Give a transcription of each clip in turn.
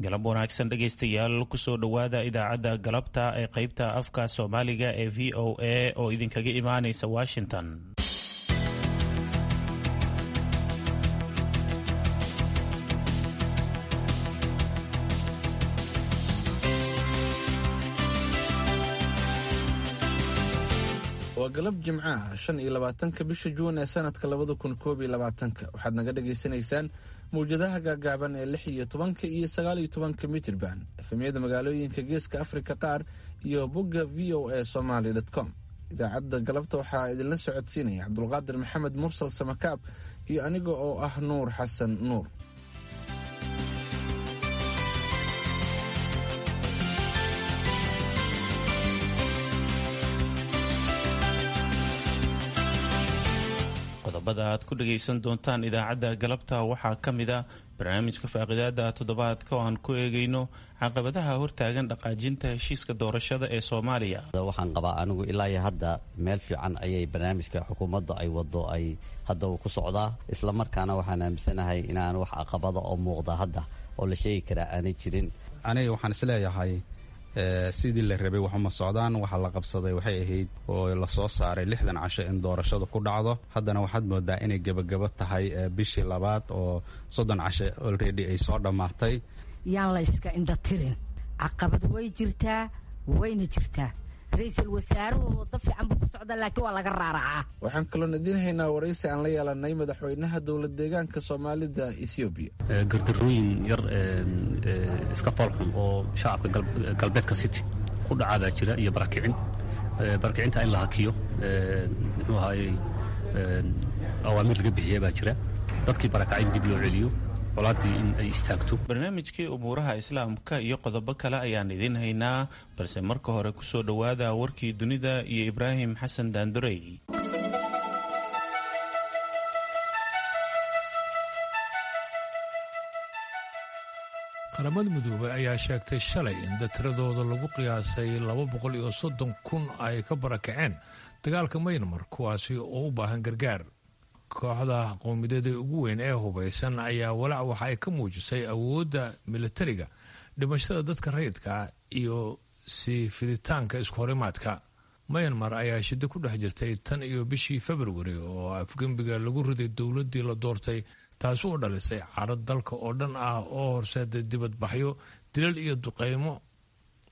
Galab wanaagsan dhegaystayaal, kusoo dhowaada idaacadda galabta ee qeybta afka Soomaaliga ee VOA oo idinkaga imaanaysa Washington. Waa galab Jimcaha, 25-ka bisha Juun ee sanadka 2021-ka. Waxaad naga dhagaysanaysaan mawjadaha gaagaaban ee 16-ka iyo 19-ka mitirban, FM-yada magaalooyinka Geeska Afrika qaar iyo bogga voasomali.com. Idaacadda galabta waxaa idinla socodsiinaya Cabdulqaadir Maxamed Mursal Samakaab iyo aniga oo ah Nuur Xasan Nuur. Qodobada aad ku dhagaysan doontaan idaacadda galabta waxaa ka mid a barnaamijka faaqidaada toddobaadka oo aan ku eegayno caqabadaha hortaagan dhaqaajinta heshiiska doorashada ee Soomaaliya. Waxaan qabaa anigu ilaa iyo hadda meel fiican ayay barnaamijka xukuumadda ay wado ay hadda uu ku socdaa, islamarkaana waxaan aaminsanahay inaan wax caqabada oo muuqda hadda oo la sheegi karaa aanay jirin. Aniga waxaan isleeyahay sidii la rabay waxuma socdaan. Waxaa la qabsaday waxay ahayd oo lasoo saaray 60 casho in doorashadu ku dhacdo. Haddana waxaad moodaa inay gebagabo tahay bishii labaad oo 30 casho already ay soo dhammaatay. Yaan la iska indhatirin, caqabad way jirtaa, wayna jirtaa. Ra-iisul wasaaruhu wado fiican buu ku socda, laakiin waa laga raaracaa. Waxaan kaloon idiin haynaa waraysi aan la yeelanay madaxweynaha dowlad deegaanka Soomaalida Ethoobiya. Gardarooyin yar iska foolxun oo shacabka galbeedka City ku dhacaa baa jira iyo barakicin. Barakicinta in la hakiyo, muxuu ahaayey, awaamiir laga bixiya baa jira. Dadkii barakacay in dib loo celiyo, colaadii in ay istaagto. Barnaamijkii umuuraha Islaamka iyo qodobo kale ayaan idiin haynaa, balse marka hore kusoo dhowaada warkii dunida iyo Ibraahim Xasan Daandurey. Qaramada Midoobay ayaa sheegtay shalay in dad tiradooda lagu qiyaasay 230,000 ay ka barakaceen dagaalka Maynmar, kuwaasi oo u baahan gargaar. Kooxda qowmiyadeeda ugu weyn ee hubaysan ayaa walaac waxa ay ka muujisay awoodda militariga, dhimashada dadka rayidka iyo sii fiditaanka iskuhorimaadka. Mayanmar ayaa shiddo ku dhex jirtay tan iyo bishii Februari oo afgembiga lagu riday dowladdii la doortay, taasi oo dhalisay carad dalka oo dhan ah oo horseeday dibadbaxyo, dilal iyo duqeymo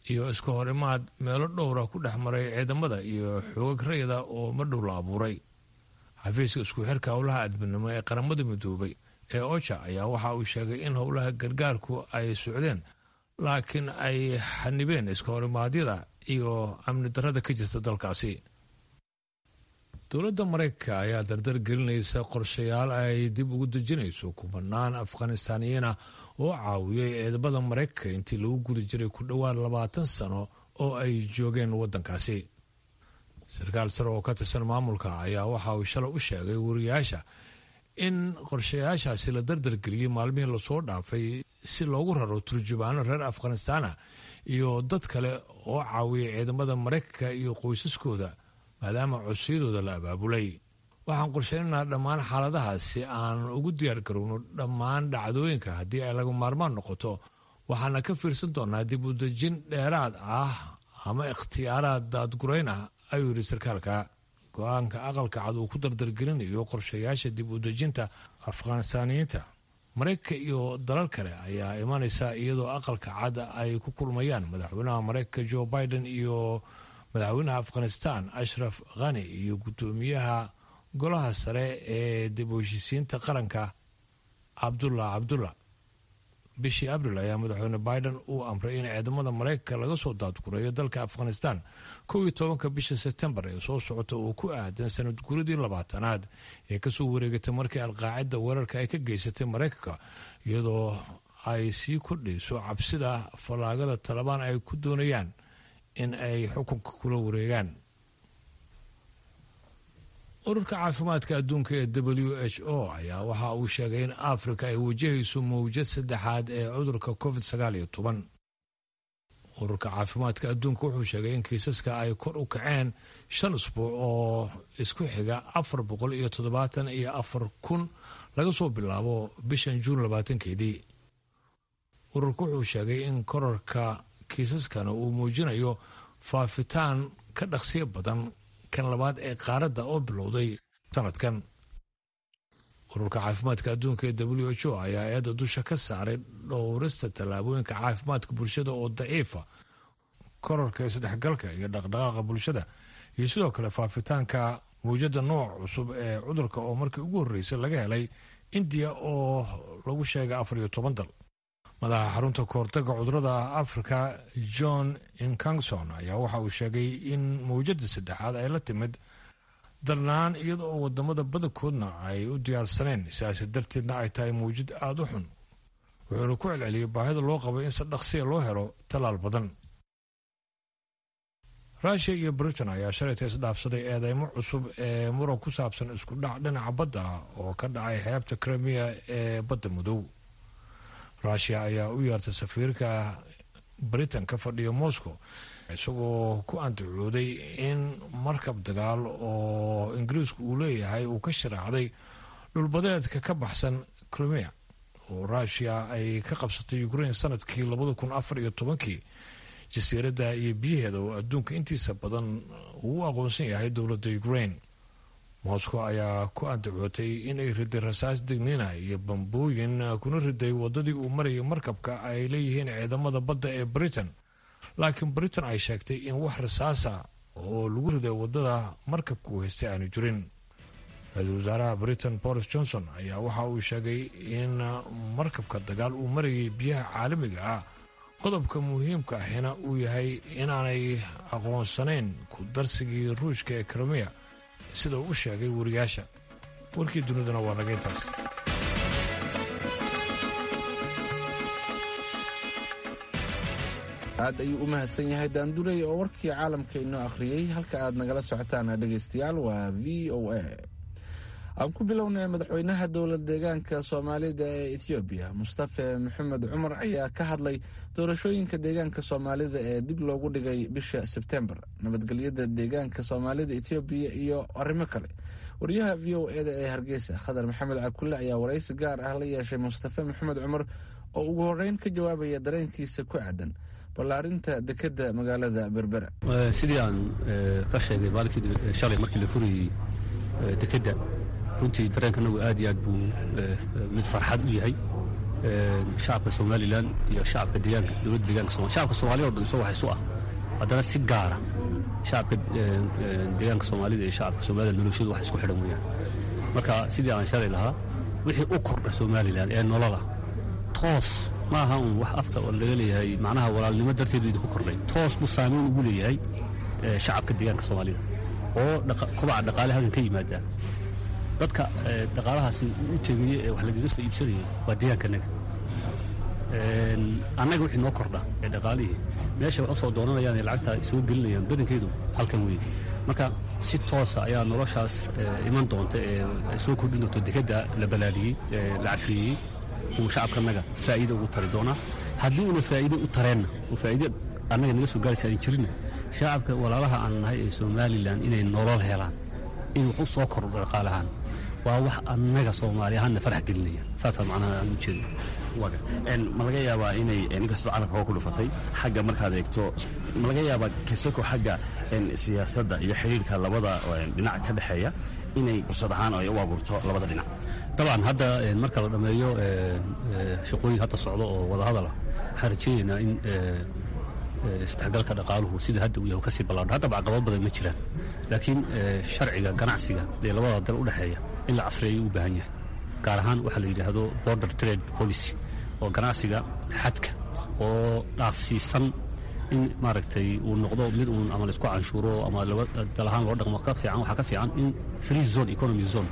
iyo isku horimaad meelo dhowra ku dhex maray ciidamada iyo xoogag rayida oo madhow la abuuray. Xafiiska isku xirka howlaha adminimo ee Qaramada Midoobay ee OCHA ayaa waxa uu sheegay in howlaha gargaarku ay socdeen, laakiin ay xanibeen iska horimaadyada iyo amni darada ka jirta dalkaasi. Dowladda Maraykanka ayaa dardar gelinaysa qorshayaal ay dib ugu dejinayso kubanaan Afghanistaaniyiina oo caawiyey ciidamada Maraykanka intii lagu guda jiray ku dhowaad 20 sano oo ay joogeen waddankaasi. Sarkaal sare oo ka tirsan maamulka ayaa waxa uu shalay u sheegay wariyaasha in qorshayaashaasi la dardargeliyey maalmihii lasoo dhaafay si loogu raro turjubaano reer Afghanistaana iyo dad kale oo caawiyay ciidamada Maraykanka iyo qoysaskooda, maadaama codsiyadooda la abaabulay. Waxaan qorshaynaynaa dhammaan xaaladahaas si aan ugu diyaargarowno dhammaan dhacdooyinka haddii ay laga maarmaan noqoto. Waxaana ka fiirsan doonaa dib u dejin dheeraad ah ama ikhtiyaaraad daadgurayn ah, ayuu yidhi sarkaalka. Go-aanka Aqalka Cad uu ku dardargelinayo qorshayaasha dib u dejinta Afghanistaaniyiinta Maraykanka iyo dalal kale ayaa imanaysa iyadoo Aqalka Cad ay ku kulmayaan madaxweynaha Maraykanka Joe Biden iyo madaxweynaha Afghanistan Ashraf Khani iyo guddoomiyaha golaha sare ee dib u heshiisiinta qaranka Cabdullah Cabdullah. Bishii Abril ayaa madaxweyne Biden uu amray in ciidamada Maraykanka laga soo daadgureeyo dalka Afghanistan 11-ka bisha Sebtembar ee soo socota, oo ku aadan sanad guradii 20aad ee kasoo wareegatay markii Alqaacida weerarka ay ka geysatay Maraykanka, iyadoo ay sii kordhayso cabsida fallaagada Talabaan ay ku doonayaan in ay xukunka kula wareegaan. Ururka caafimaadka adduunka ee WHO ayaa waxa uu sheegay in Afrika ay wajahayso mawjad saddexaad ee cudurka COVID-19. Ururka caafimaadka adduunka wuxuu sheegay in kiisaska ay kor u kaceen 5 usbuuc oo isku xiga, 474,000 laga soo bilaabo bishan Juun 20-keedii. Ururku wuxuu sheegay in korarka kiisaskana uu muujinayo faafitaan ka dhaqsiyo badan kan labaad ee qaaradda oo bilowday sanadkan. Ururka caafimaadka adduunka ee WHO ayaa eedda dusha ka saaray dhowrista tallaabooyinka caafimaadka bulshada oo daciifa, korarka isdhexgalka iyo dhaqdhaqaaqa bulshada, iyo sidoo kale faafitaanka mawjadda nooc cusub ee cudurka oo markii ugu horreysay laga helay Indiya oo lagu sheegay 14 dal. Madaxa xarunta kahortaga cudurada Afrika John Nkengasong ayaa waxa uu sheegay in mawjadda saddexaad ay la timid darnaan, iyada oo wadamada badankoodna ay u diyaarsaneen, sidaasi darteedna ay tahay mawjad aada u xun. Wuxuuna ku celceliyey baahida loo qabay in si dhaqsiya loo helo tallaal badan. Rushia iyo Britain ayaa shalayta isdhaafsaday eedeymo cusub ee muran ku saabsan isku dhac dhinaca badda ah oo ka dhacay xeebta Crimea ee Badda Madow. Rushia ayaa u yeertay safiirka Britain ka fadhiya Moscow, isagoo ku andacooday in markab dagaal oo Ingiriisku uu leeyahay uu ka sharaacday dhulbadeedka ka baxsan Crimea oo Rushia ay ka qabsatay Ukraine sanadkii 2014-kii, jasiiradda iyo biyaheeda oo adduunka intiisa badan uu u aqoonsan yahay dowladda Ukraine. Moscow ayaa ku andacootay inay riday rasaas digniina iyo bambooyin, kuna riday wadadii uu marayay markabka ay leeyihiin ciidamada badda ee Britain, laakiin Britain ay sheegtay in wax rasaasa oo lagu riday wadada markabka uu haystay aanu jirin. Ra-iisul wasaaraha Britain Boris Johnson ayaa waxa uu sheegay in markabka dagaal uu marayay biyaha caalamiga ah, qodobka muhiimka ahina uu yahay inaanay aqoonsanayn ku darsigii Ruushka ee Crimea, sida uu u sheegay wariyaasha. Warkii duniduna waa naga intaas. Aad ayuu u mahadsan yahay Daandurey oo warkii caalamka inoo akhriyey. Halka aad nagala socotaan, dhegaystayaal, waa VOA. Aan ku bilownay, madaxweynaha dowlad deegaanka Soomaalida ee Ethoobiya, Mustafe Maxamed Cumar, ayaa ka hadlay doorashooyinka deegaanka Soomaalida ee dib loogu dhigay bisha Sebtembar, nabadgelyada deegaanka Soomaalida Ethoobiya iyo arrimo kale. Wariyaha VOA-da ee Hargeysa, Khadar Maxamed Cakulle, ayaa waraysi gaar ah la yeeshay Mustafe Maxamed Cumar oo ugu horeyn ka jawaabaya dareenkiisa ku aadan ballaarinta dekedda magaalada Berbera. Sidii aan ka sheegay maalinkii shalay markii la furayey dekedda, runtii dareenkanagu aad iyo aad buu mid farxad u yahay. Shacabka Somaliland iyo shacabka deegaanka, dowladda deegaanka, shacabka Soomaaliya o dhan isoo wax isu ah, haddana si gaara shacabka deegaanka Soomaalida iyo shacabka Somaliland noloshoodu wax isku xidhan weeyaan. Marka sidii aan shalay lahaa, wixii u kordha Somaliland ee nolola toos ma aha un wax afka oo laga leeyahay, macnaha walaalnimo darteedu idinku kordhay, toos buu saameyn ugu leeyahay shacabka deegaanka Soomaalida oo kobaca dhaqaale halkan ka yimaada. Dadka dhaqaalahaasi u tegaya ee wax lagaga soo iibsanayay waa deegaankanaga. Annaga wixii noo kordha ee dhaqaalihii meesha wax u soo doonanayaan ee lacagta soo gelinayaan badankeedu halkan weeye. Marka si toosa ayaa noloshaas iman doonta ee soo kordhin doonto dekedda la balaaliyey ee la casriyeeyey uu shacabkanaga faa'iido ugu tari doonaa. Haddii uuna faa'iido u tareenna oo faa'iido annaga naga soo gaaraysa aan jirinna, shacabka walaalaha aan nahay ee Somaliland inay nolol helaan, in wax u soo kordho dhaqaalahaan, waa wax annaga Soomaali ahaanna farax gelinaya. Saasaa macnaha aan u jeedno. Ma laga yaabaa inay, inkastoo carabka oo ku dhufatay xagga markaad eegto, ma laga yaabaa kasako xagga siyaasadda iyo xidhiirka labada dhinac ka dhexeeya inay fursad ahaan ay u abuurto labada dhinac? Dabcan, hadda marka la dhammeeyo shaqooyin hadda socdo oo wadahadal ah, waxaan rajaynaynaa in isdhexgalka dhaqaaluhu sida hadda uu yahay kasii ballaadho. Haddaba caqabado badan ma jiraan, laakiin sharciga ganacsiga ee labada dal u dhexeeya in la casriyeeyo u baahan yahay, gaar ahaan waxaa la yidhaahdo border trade policy oo ganacsiga xadka oo dhaafsiisan in maaragtay uu noqdo mid uun ama laisku canshuuro ama laba dal ahaan loo dhaqmo ka fiican. Waxaa ka fiican in free zone economy zone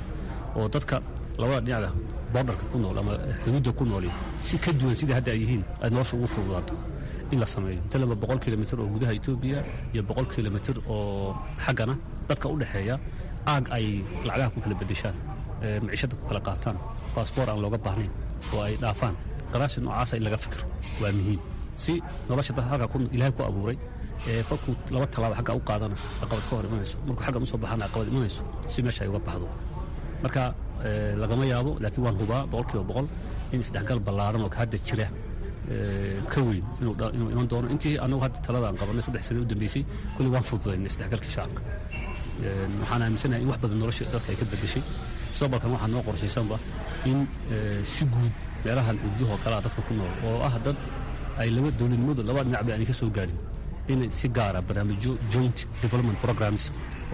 oo dadka labada dhinacba borderka ku nool ama xuduudda ku nooli si ka duwan sida hadda ay yihiin ay nolosha ugu fududaato in la sameeyo. Inta 100 kilomitir oo gudaha Etoobiya iyo 100 kilomitir oo xaggana dadka u dhexeeya aag ay lacagaha ku kala bedeshaan, maciishadda ku kala qaataan, baasboor aan looga baahnayn oo ay dhaafaan, ganacsi noocaasa in laga fikiro waa muhiim si nolosha dadka halkaa Ilaahay ku abuuray ee kolkuu laba tallaabo xagga u qaadana caqabad ka hor imanayso, markuu xaggan usoo baxana caqabad imanayso, si meesha ay uga baxdo. Marka lagama yaabo, laakiin waan hubaa 100% in isdhexgal ballaaran oo hadda jira ka weyn inuu iman doono. Intii annagu hadda talada aan qabanay 3 sano u dambeysay, kulli waan fududaynay isdhexgalkii shacabka. Waxaan aaminsanahay in wax badan nolosha dadka ay ka bedeshay. Mustaqbalkan waxaa noo qorshaysanba in si guud meelahan xuduudahoo kalea dadka ku nool oo ah dad ay laba dowladnimadu laba dhinacba aanay ka soo gaarin, in si gaara barnaamijyo joint development programs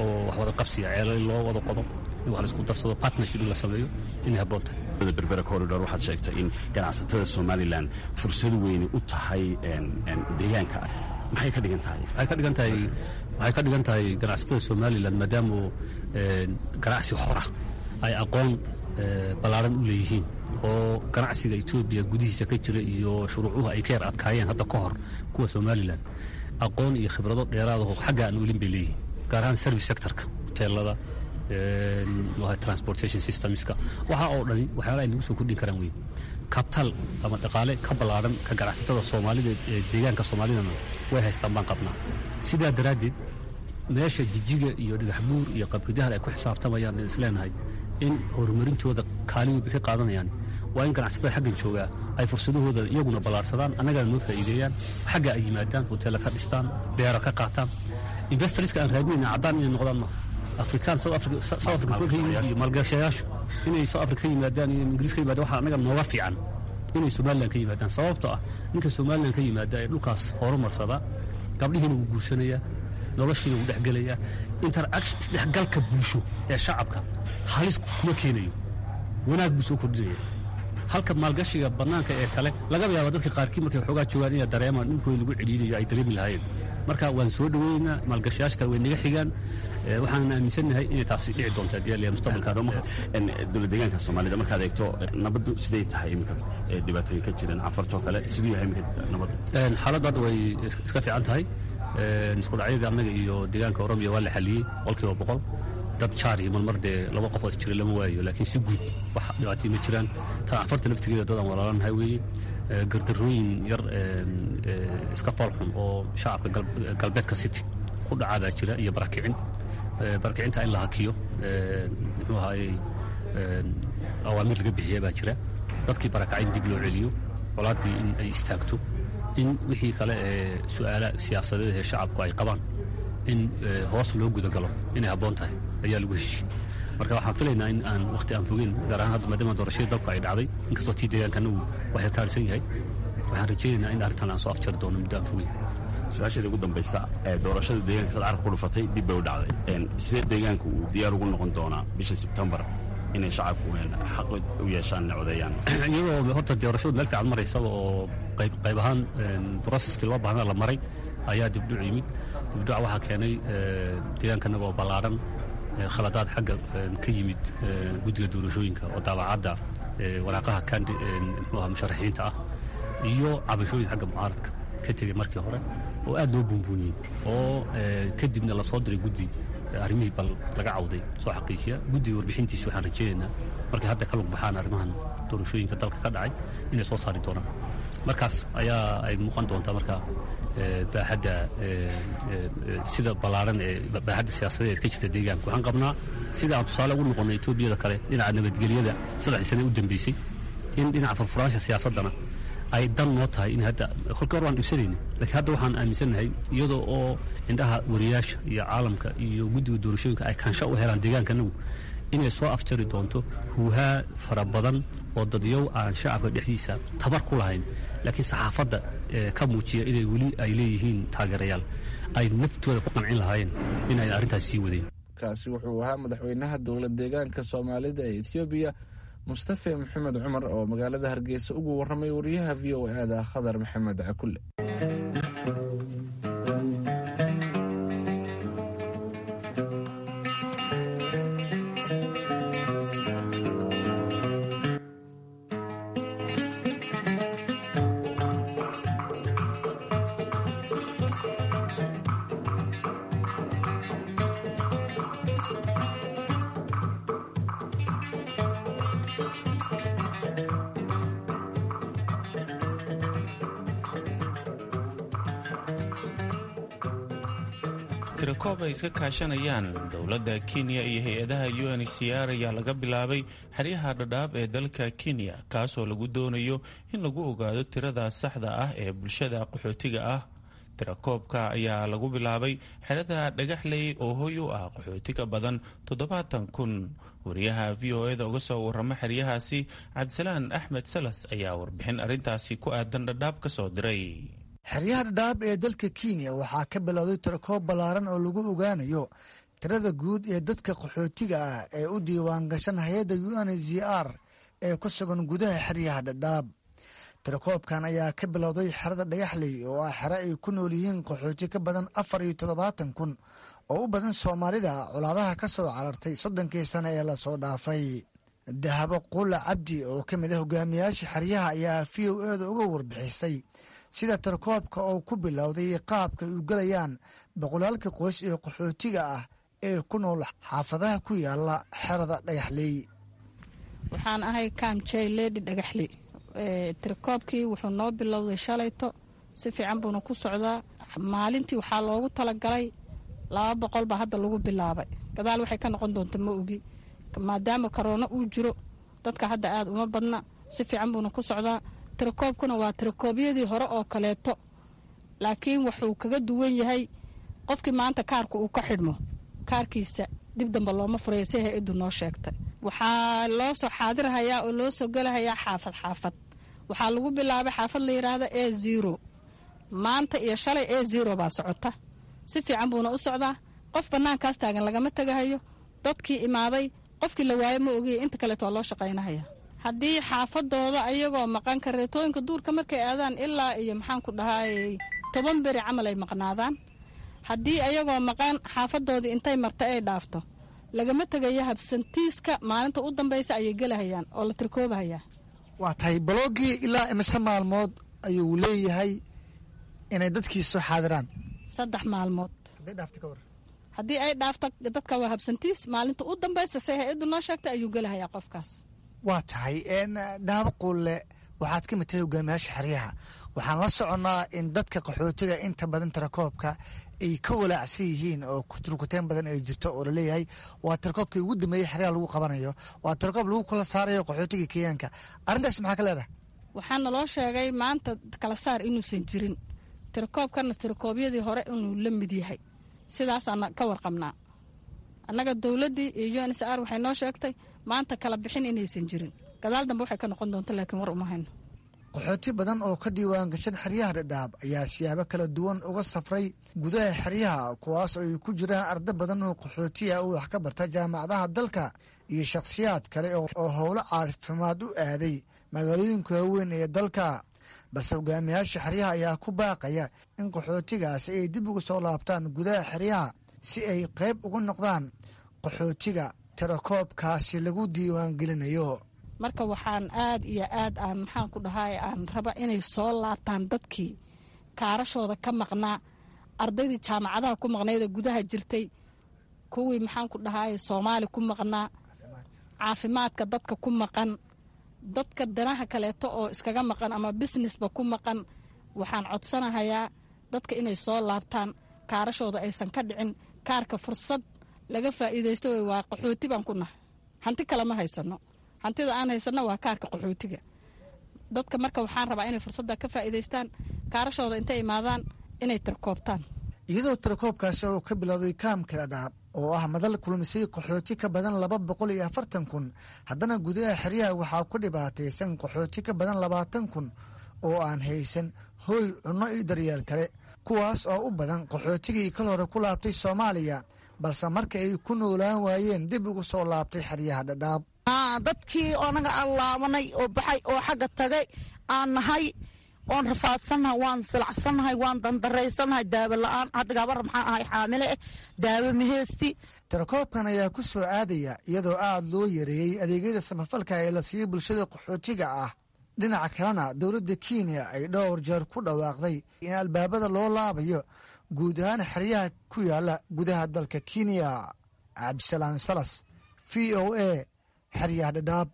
oo wax wada qabsiya, ceelal loo wada qodo, in wax la isku darsado, partnership in la sameeyo, inay habboon tahay. Berbera corridor waxaad sheegtay in ganacsatada Somalilan fursad weyni u tahay deegaanka. Maxay ka dhigan tahay? Waxay ka dhigan tahay ganacsatada Somalilan, maadaama ganacsi xora ay aqoon ballaaran u leeyihiin oo ganacsiga Etoobiya gudihiisa ka jira iyo shuruucuhu ay ka yar adkaayeen hadda ka hor kuwa Somalilan, aqoon iyo khibrado dheeraadaho xagga aan welin bay leeyihiin, gaar ahaan service sectorka, hoteelada, transportation systemska, waxa oo dhani waxyaala ay nagu soo kordhin karaan weyn. Kabtaal ama dhaqaale ka ballaaran ka ganacsatada Soomaalida ee deegaanka Soomaalidana way haystaan baan qabnaa. Sidaa daraaddeed meesha Jijiga iyo Dhagaxbuur iyo Qabridahar ay ku xisaabtamayaan in isleenahay in horumarintooda kaalin weyn bay ka qaadanayaan, waa in ganacsatada xaggan joogaa ay fursadahooda iyaguna ballaarsadaan, annagana noo faa'iideeyaan, xagga ay yimaadaan, hoteella ka dhistaan, beero ka qaataan. Investorska aan raadinayna caddaan inay noqdaan maaha, Afrikaan South Africa, South Africa kuwa ka yimid iyo maalgashayaashu inay South Africa ka yimaadaan iyo Ingiriis ka yimaadaan, waxaa annaga nooga fiican inay Somaliland ka yimaadaan, sababtoo ah ninka Somaliland ka yimaada ee dhulkaas horumarsada gabdhihiina wuu guursanayaa, noloshiina wuu dhexgelayaa, interaction isdhexgalka bulsho ee shacabka halis kuma keenayo, wanaag buu soo kordhinaya. Halka maalgashiga bannaanka ee kale laga yaaba dadka qaarkii markay xoogaa joogaan inay dareemaan dhulkooda lagu celiinayo ay dareemi lahaayeen. Marka waan soo dhoweynaa, maalgashayaasha kale way naga xigaan, waxaanan aaminsannahay inay taasi dhici doonto haddii alla mustaqbalka. Dowlad deegaanka Soomaalida markaad eegto, nabaddu siday tahay iminka? Dhibaatooyin ka jireen Canfartoo kale, siduu yahay iminka nabaddu? Xaaladdu hadda way iska fiican tahay. Isku dhacyadii annaga iyo deegaanka Oromiya waa la xaliyey 100%. Dad jaar iyo marmar dee laba qof oo is jiray lama waayo, laakiin si guud wax dhibaatay ma jiraan. Tan Canfarta laftigeeda dad aan walaalanahay weeye. Gardarrooyin yar iska foolxun oo shacabka galbeedka City ku dhacaa baa jira iyo barakicin. Barakicinta in la hakiyo, muxuu ahaayey, awaamiir laga bixiya baa jira, dadkii barakacay in dib loo celiyo, colaaddii in ay istaagto, in wixii kale ee su'aala siyaasadeed ee shacabku ay qabaan in hoos loo gudagalo inay habboon tahay ayaa lagu heshiiyey. Marka waxaan filaynaa in aan wakhti aan fogeyn, gaar ahaan hadda maadaama doorashadii dalku ay dhacday, inkastoo tii deegaanka anagu waxay kaarsan yahay, waxaan rajaynaynaa in arrintan aan soo afjari doono muddo aan fogeyn. Su-aasheeda ugu dambaysa, ee doorashada deegaanka sad carab ku dhufatay dib bay u dhacday. Sidee deegaanku uu diyaar ugu noqon doonaa bisha Sebtembar inay shacabku xaq u yeeshaan inay codeeyaan? Iyadoo horta doorashadu meel fiican maraysaba oo qayb qayb ahaan processkii loo baahnaa la maray ayaa dibdhuc yimid. Dibdhuca waxaa keenay deegaankanaga oo ballaaran, khaladaad xagga ka yimid guddiga doorashooyinka oo daabacadda waraaqaha kandi muxuu ahaa musharaxiinta ah, iyo cabashooyin xagga mucaaradka ka tegey markii hore oo aad loo buunbuuniyey, oo kadibna lasoo diray guddi arrimihii bal laga cawday soo xaqiijiya. Guddiga warbixintiisi waxaan rajaynaynaa markay hadda ka lug baxaan arrimahan doorashooyinka dalka ka dhacay inay soo saari doonaan. Markaas ayaa ay muuqan doontaa marka baaxadda sida ballaaran ee baaxadda siyaasadeed ka jirta deegaanka. Waxaan qabnaa sida aan tusaale ugu noqonnay Etoobiyada kale dhinaca nabadgelyada 3dii sane u dambeysay, in dhinaca furfuraansha siyaasaddana ay dan noo tahay. In hadda kolkii hore waan dhibsanayna, laakiin hadda waxaan aaminsannahay iyadoo oo indhaha wariyaasha iyo caalamka iyo guddiga doorashooyinka ay kaansho u helaan deegaankanagu, inay soo afjari doonto huuhaa fara badan oo dadyow aan shacabka dhexdiisa tabar ku lahayn, laakiin saxaafadda ka muujiya inay weli ay leeyihiin taageerayaal ay naftooda ku qancin lahaayeen in ay arrintaas sii wadeen. Kaasi wuxuu ahaa madaxweynaha dowlad deegaanka Soomaalida ee Ethoobiya, Mustafe Maxamed Cumar, oo magaalada Hargeysa ugu warramay wariyaha VOA-da Khadar Maxamed Cakulle. Tirakoob ay iska kaashanayaan dowladda Kenya iyo hay-adaha UNHCR ayaa laga bilaabay xeryaha Dhadhaab ee dalka Kenya, kaasoo lagu doonayo in lagu ogaado tirada saxda ah ee bulshada qaxootiga ah. Tirakoobka ayaa lagu bilaabay xerada Dhagaxley oo hoy u ah qaxootiga badan 70,000. Wariyaha VOA-da uga soo warama xeryahaasi, Cabdisalaan Axmed Salas, ayaa warbixin arrintaasi ku aadan Dhadhaab ka soo diray. Xeryaha Dhadhaab ee dalka Kenya waxaa ka bilowday tirakoob ballaaran oo lagu ogaanayo tirada guud ee dadka qaxootiga ah ee u diiwaan gashan hay-adda UNHCR ee ku sugan gudaha xeryaha Dhadhaab. Tirakoobkan ayaa ka bilowday xerada Dhagaxley oo ah xere ay ku nool yihiin qaxooti ka badan 74,000 oo u badan Soomaalida colaadaha ka soo carartay 30-kii sane ee lasoo dhaafay. Dahabo Quula Cabdi oo ka mid ah hogaamiyaasha xeryaha ayaa VOA-da uga warbixisay sida tirakoobka oo ku bilowday qaabka ay u gelayaan boqolaalka qoys ee qaxootiga ah ee ku nool xaafadaha ku yaala xerada Dhagaxley. Waxaan ahay camp chairlady Dhagaxley. Tirakoobkii wuxuu noo bilowday shalayto, si fiican buuna ku socdaa. Maalintii waxaa loogu talagalay 200 baa hadda lagu bilaabay. Gadaal waxay ka noqon doonta ma ogi, maadaama korona uu jiro dadka hadda aada uma badna. Si fiican buuna ku socdaa. Tirakoobkuna waa tirakoobyadii hore oo kaleeto, laakiin wuxuu kaga duwan yahay qofkii maanta kaarka uu ka xidhmo, kaarkiisa dib dambe looma furaya, si hay-addu noo sheegtay. Waxaa loo soo xaadirhayaa oo loo soo gelahayaa xaafad xaafad. Waxaa lagu bilaabay xaafad la yidhaahda A0. Maanta iyo shalay A0 baa socota. Si fiican buuna u socdaa. Qof bannaankaas taagan lagama tegahayo. Dadkii imaaday qofkii la waayo ma ogiya, inta kaleeto waa loo shaqaynahaya. Haddii xaafadooda ayagoo maqan kareetooyinka duurka markay aadaan ilaa iyo maxaan ku dhahaayey 10 beri camal ay maqnaadaan, haddii ayagoo maqan xaafadoodii intay marta ay dhaafto, lagama tegayo. Habsantiiska maalinta u dambaysa ayay gelahayaan oo la tirkoobahayaa. Waa tahay, baloogii ilaa imise maalmood ayuu leeyahay inay dadkii soo xaadiraan? 3 maalmood. Haddii ay dhaafto dadka waa habsantiis. Maalinta u dambaysa, say hay-addu noo sheegtay, ayuu gelahayaa qofkaas. Waa tahay, Dahabo Quulle, waxaad ka mid tahay hogaamiyaasha xeryaha. Waxaan la soconnaa in dadka qaxootiga inta badan tirakoobka ay ka walaacsan yihiin oo turkuteen badan ay jirto oo laleeyahay waa tirakoobkii ugu dambeeyey xeryaha lagu qabanayo, waa tirakoob lagu kala saarayo qaxootiga Kenyaanka. Arrintaas maxaa ka leedahay? Waxaa naloo sheegay maanta kala saar inuusan jirin, tirakoobkana tirakoobyadii hore inuu la mid yahay. Sidaasaana ka warqabnaa annaga. Dowladdii iyo UNHCR waxay noo sheegtay maanta kala bixin inaysan jirin. Gadaal dambe waxay ka noqon doonta laakiin war uma hayno. Qaxooti badan oo ka diiwaan gashan xeryaha Dhadhaab ayaa siyaabo kala duwan uga safray gudaha xeryaha, kuwaas oo ay ku jiraan arda badan oo qaxootiya oo wax ka barta jaamacadaha dalka iyo shakhsiyaad kale oo howlo caafimaad u aaday magaalooyinka waaweyn ee dalka. Balse hogaamiyaasha xeryaha ayaa ku baaqaya in qaxootigaasi ay dib uga soo laabtaan gudaha xeryaha si ay qayb uga noqdaan qaxootiga tirakoobkaasi lagu diiwaangelinayo. Marka waxaan aad iyo aad aan maxaan ku dhahay aan raba inay soo laabtaan dadkii kaarashooda ka maqnaa, ardaydii jaamacadaha ku maqnaydee gudaha jirtay, kuwii maxaan ku dhahay Soomaali ku maqnaa, caafimaadka dadka ku maqan, dadka danaha kaleeto oo iskaga maqan ama businessba ku maqan. Waxaan codsanahayaa dadka inay soo laabtaan, kaarashooda aysan ka dhicin. Kaarka fursad laga faa'iidaysto wey. Waa qaxooti baan ku nahay, hanti kale ma haysano. Hantida aan haysano waa kaarka qaxootiga. Dadka marka waxaan rabaa inay fursadda ka faa'iidaystaan, kaarashooda intay imaadaan inay tirkoobtaan. Iyadoo tirakoobkaasi oo ka bilowday kaamka Dhadhaab oo ah madal kulmisay qaxooti ka badan 240,000, haddana gudaha xeryaha waxaa ku dhibaataysan qaxooti ka badan 20,000 oo aan haysan hooy, cunno iyo daryeel kale, kuwaas oo u badan qaxootigii kal hore ku laabtay Soomaaliya, balse marka ay ku noolaan waayeen dib ugu soo laabtay xeryaha Dhadhaab. Dadkii anaga aan laabanay oo baxay oo xagga tagay aan nahay oon rafaadsannahay, waan silacsannahay, waan dandaraysannahay, daawo la-aan. Hadda gabar maxaa ahay xaamile eh, daawo maheysti. Tirakoobkan ayaa ku soo aadaya iyadoo aada loo yareeyey adeegyada samafalka ee la siiyey bulshada qaxootiga ah. Dhinaca kalena dowladda Kenya ay dhowr jeer ku dhawaaqday in albaabada loo laabayo guud ahaan xeryaha ku yaala gudaha dalka Kenya. Cabdisalaan Salas, VOA, xeryaha Dhadhaab.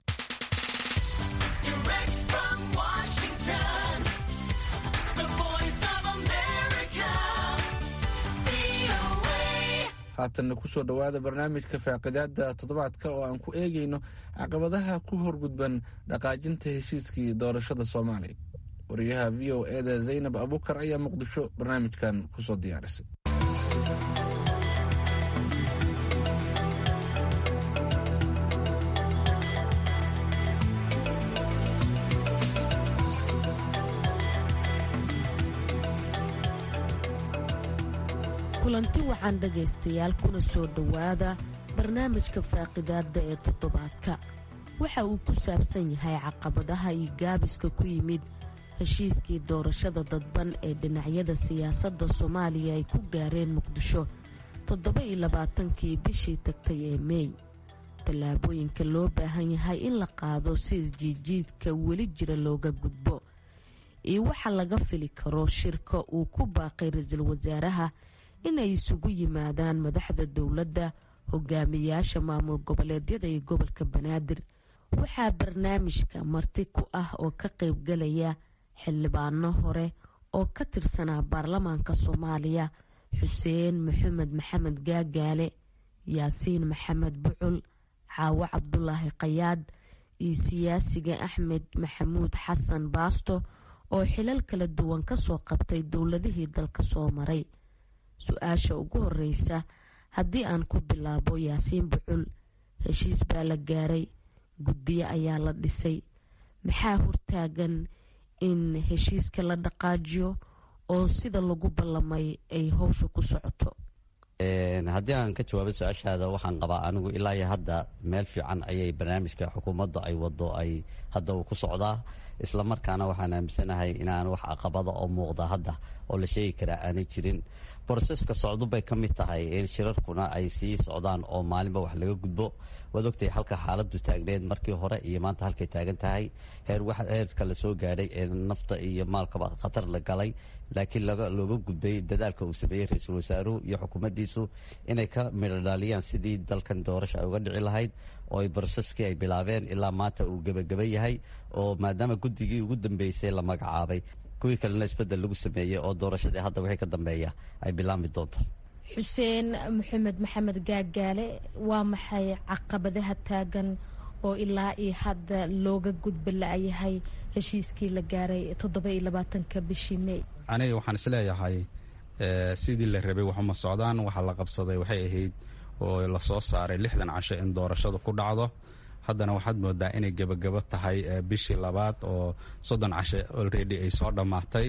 Direct from Washington, the Voice of America, VOA. Haatanna kusoo dhowaada barnaamijka faaqidaada toddobaadka oo aan ku eegayno caqabadaha ku horgudban dhaqaajinta heshiiskii doorashada Soomaaliya. Wariyaha VOA-da Zaynab Abuukar ayaa Muqdisho barnaamijkan kusoo diyaarisay. Kulanti waxaan dhegaystayaal, kuna soo dhowaada barnaamijka faaqidaadda ee toddobaadka. Waxa uu ku saabsan yahay caqabadaha iyo gaabiska ku yimid heshiiskii doorashada dadban ee dhinacyada siyaasadda Soomaaliya ay ku gaareen Muqdisho 27-kii bishii tagtay ee Meey, tallaabooyinka loo baahan yahay in la qaado si isjiidjiidka weli jira looga gudbo, iyo waxa laga fili karo shirka uu ku baaqay ra-iisul wasaaraha inay isugu yimaadaan madaxda dowladda, hogaamiyaasha maamul goboleedyada iyo gobolka Banaadir. Waxaa barnaamijka marti ku ah oo ka qaybgalaya xildhibaano hore oo ka tirsanaa baarlamaanka Soomaaliya, Xuseen Maxamed Maxamed Gaagaale, Yaasiin Maxamed Bucul, Xaawo Cabdulaahi Khayaad iyo siyaasiga Axmed Maxamuud Xasan Baasto oo xilal kala duwan kasoo qabtay dowladihii dalka soo maray. Su-aasha ugu horeysa haddii aan ku bilaabo Yaasiin Bucul, heshiis baa la gaaray, guddiyo ayaa la dhisay, maxaa hortaagan in heshiiska la dhaqaajiyo oo sida lagu ballamay ay howsha ku socoto? Haddii aan ka jawaabo su-aashaada, waxaan qabaa anigu ilaa iyo hadda meel fiican ayay barnaamijka xukuumadda ay wado ay hadda uu ku socdaa, islamarkaana waxaan aaminsanahay inaan wax caqabada oo muuqda hadda oo la sheegi karaa aanay jirin. Broseska socdu bay ka mid tahay in shirarkuna ay sii socdaan oo maalinba wax laga gudbo. Waad ogtahay halka xaaladdu taagneed markii hore iyo maanta halkay taagan tahay, heerka la soo gaadhay ee nafta iyo maalkaba khatar la galay, laakiin looga gudbay dadaalka uu sameeyey ra-iisul wasaaruhu iyo xukuumaddiisu inay ka midhodhaaliyaan sidii dalkan doorasha ay uga dhici lahayd, oo ay broseskii ay bilaabeen ilaa maanta uu gebageba yahay, oo maadaama guddigii ugu dambeysay la magacaabay, kuwii kalena isbedel lagu sameeyey, oo doorashadii hadda wixii ka dambeeya ay bilaabmi doonto. Xuseen Maxamed Maxamed Gaagaale, waa maxay caqabadaha taagan oo ilaa iyo hadda looga gudba la-yahay heshiiskii la gaaray 27-ka bishii Mey? Aniga waxaan isleeyahay sidii la rabay waxuma socdaan. Waxaa la qabsaday waxay ahayd oo lasoo saaray 60 casho in doorashadu ku dhacdo. Haddana waxaad moodaa inay gebagabo tahay bishii labaad oo 30 casho already ay soo dhammaatay.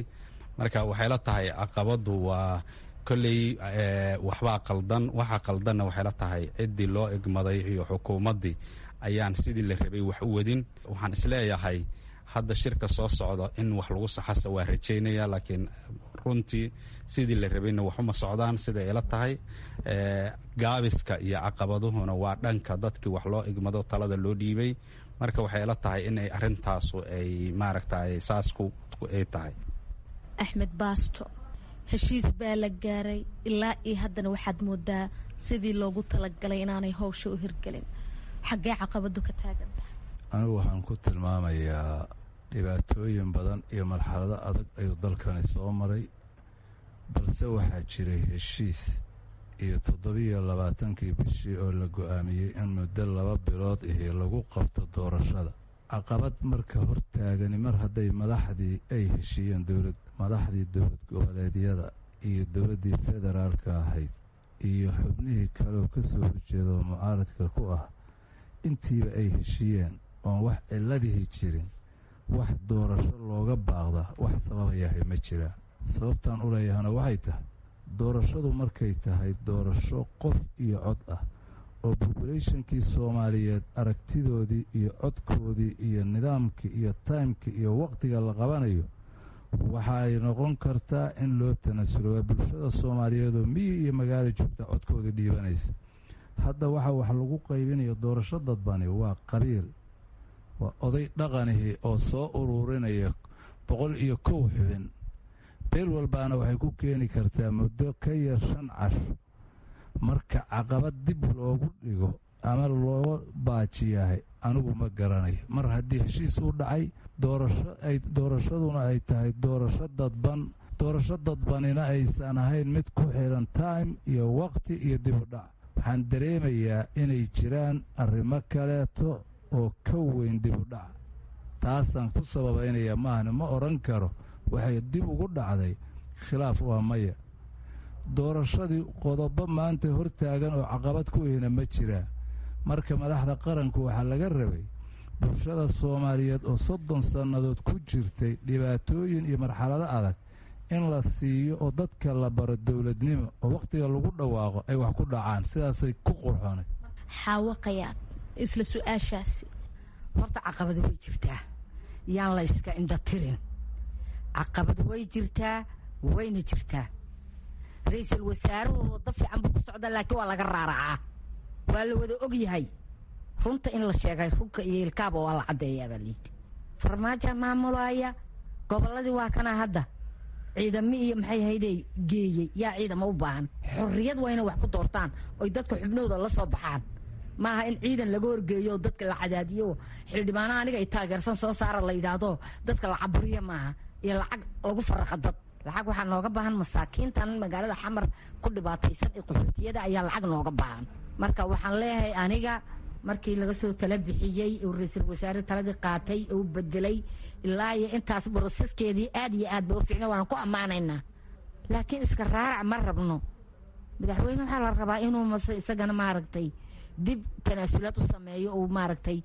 Marka waxay la tahay caqabadu waa kolley waxbaa qaldan. Waxa qaldanna waxay la tahay ciddii loo egmaday iyo xukuumaddii ayaan sidii la rabay wax u wadin. Waxaan isleeyahay hadda shirka soo socda in wax lagu saxasa waa rajaynaya, laakiin runtii sidii la rabayna waxuma socdaan siday ila tahay. Gaabiska iyo caqabaduhuna waa dhanka dadkii wax loo igmado, talada loo dhiibay. Marka waxay ila tahay in ay arrintaasu ay maaragtay saasku ay tahay. Axmed Baasto, heshiis baa la gaaray, ilaa iyo haddana waxaad moodaa sidii loogu talagalay inaanay howsha u hirgelin. Xaggee caqabadu ka taagan tahay? Anigu waxaan ku tilmaamayaa dhibaatooyin badan iyo marxalado adag ayuu dalkani soo maray, balse waxaa jiray heshiis iyo 27-kii bishii oo la go'aamiyey in muddo 2 bilood ihi lagu qabto doorashada. Caqabad marka hortaagani mar hadday madaxdii ay heshiiyeen, dowlad madaxdii dowlad goboleedyada iyo dowladdii federaalka ahayd iyo xubnihii kaleoo ka soo horjeeda oo mucaaradka ku ah, intiiba ay heshiiyeen oon wax ciladihii jirin, wax doorasho looga baaqda wax sababayahay ma jiraan. Sababtaan u leeyahana waxay tahay, doorashadu markay tahay doorasho qof iyo cod ah oo bobulationkii Soomaaliyeed aragtidoodii iyo codkoodii iyo nidaamkii iyo taymkii iyo wakhtiga la qabanayo, waxa ay noqon kartaa in loo tanasulo. Waa bulshada Soomaaliyeed oo miyi iyo magaalo joogta codkoodii dhiibanaysa. Hadda waxa wax lagu qaybinayo doorasho dadbani waa qabiil, waa oday dhaqanihii oo soo ururinaya 101 xubin. Beel walbaana waxay ku keeni kartaa muddo ka yar 5 casho. Marka caqabad dib loogu dhigo ama loo baajiyahay anigu ma garanayo. Mar haddii heshiis uu dhacay, doorasho ay doorashaduna ay tahay doorasho dadban, Doorasho dadbanina aysan ahayn mid ku xidhan time iyo wakhti iyo dib u dhac. Waxaan dareemayaa inay jiraan arrimo kaleeto oo ka weyn dib u dhac. Taasaan ku sababaynayaa, maahane ma odhan karo waxay dib ugu dhacday khilaaf, waa maya. Doorashadii qodobo maanta hortaagan oo caqabad ku ihna ma jiraa. Marka madaxda qaranku waxaa laga rabay bulshada Soomaaliyeed oo 30 sannadood ku jirtay dhibaatooyin iyo marxalado adag in la siiyo oo dadka la baro dowladnimo oo wakhtiga lagu dhawaaqo ay wax ku dhacaan, sidaasay ku qurxoonay. Xaawo Qayaad, isla su-aashaasi. Horta caqabad way jirtaa, yaan la iska indha tirin. Caqabad way jirtaa, wayna jirtaa. Ra-iisul wasaaruhu waddo fiican buu ku socdaa, laakiin waa laga raaracaa, waa la wada og yahay. Runta in la sheegay, runka iyo ilkaaba waa la caddeeyaa baa layidhi. Farmaaja maamulaya gobolladii, waa kana hadda ciidamo iyo maxay haydey geeyey. Yaa ciidamo u baahan? Xorriyad waa inay wax ku doortaan oy dadka xubnahooda la soo baxaan. Maaha in ciidan laga horgeeyo, dadka la cadaadiyo, xildhibaanaha aniga ay taageersan soo saara la yidhaahdo, dadka la caburiya maaha, iyo lacag lagu faraqa dad. Lacag waxaa nooga baahan masaakiintan magaalada Xamar ku dhibaataysan ee qaxootiyada ayaa lacag nooga baahan. Marka waxaan leeyahay aniga, markii laga soo tala bixiyey uu ra-iisul wasaare taladii qaatay uu bedelay, ilaa iyo intaas broseskeedii aad iyo aad ba u fiicna, waana ku ammaanaynaa. Laakiin iska raarac ma rabno. Madaxweyne waxaa la rabaa inuu mase isagana maaragtay dib tanaasulaad u sameeyo, uu maaragtay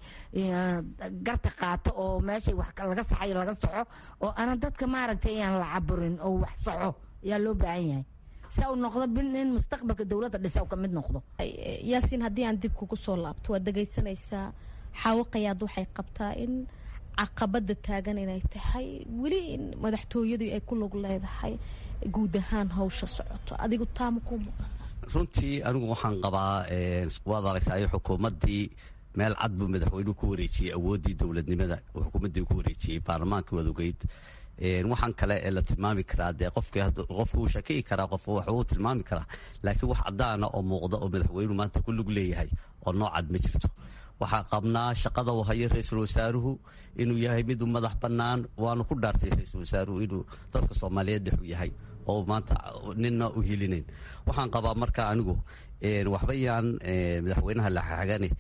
garta qaato oo meeshay wax laga saxay laga saxo, oo aanan dadka maaragtay aan la caburin oo wax saxo ayaa loo baahan yahay, si uu noqdo in mustaqbalka dowladda dhisa uu ka mid noqdo. Yaasiin, haddii aan dib kugu soo laabto, waad dhegaysanaysaa Xaawo Qayaad. Waxay qabtaa in caqabada taagan inay tahay weli in madaxtooyadu ay ku lug leedahay guud ahaan hawsha socoto. Adigu taama kuu muuqata? Runtii anigu waxaan qabaa, waad aragtay, xukuumaddii meel cad buu madaxweynuhu ku wareejiyey awooddii dowladnimada, xukuumaddii ku wareejiyey baarlamaankii waad ogeyd. Waxaan kale ee la tilmaami karaa dee qofku wuu shakiyi karaa, qofku wax uu tilmaami karaa, laakiin wax caddaana oo muuqda oo madaxweynuhu maanta ku lug leeyahay oo noocad ma jirto. Waxaa qabnaa shaqada uu hayo ra-iisul wasaaruhu inuu yahay mid u madax bannaan, waanu ku dhaartay ra-iisul wasaaruhu inuu dadka Soomaaliyeed dhex u yahay oo maanta nina u hilinayn. Waxaan qabaa marka anigu waxba yaan madaxweynaha la xagane,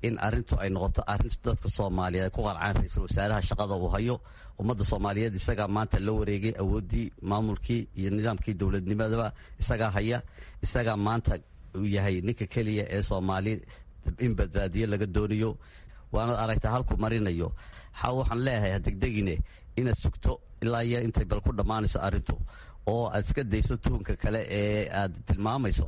in arintu ay noqoto arrin dadka Soomaaliyeed ay ku qarcaan ra-iisul wasaaraha shaqada uu hayo. Ummadda Soomaaliyeed isagaa maanta la wareegay awooddii maamulkii iyo nidaamkii dowladnimadaba, isagaa haya, isagaa maanta uu yahay ninka keliya ee Soomaali in badbaadiyo laga doonayo. Waanaad aragtaa halku marinayo. Waxaan leeyahay hadegdegine, inaad sugto ilaa iyo intay bal ku dhammaanayso arrintu oo aad iska dayso tuhunka kale ee aad tilmaamayso,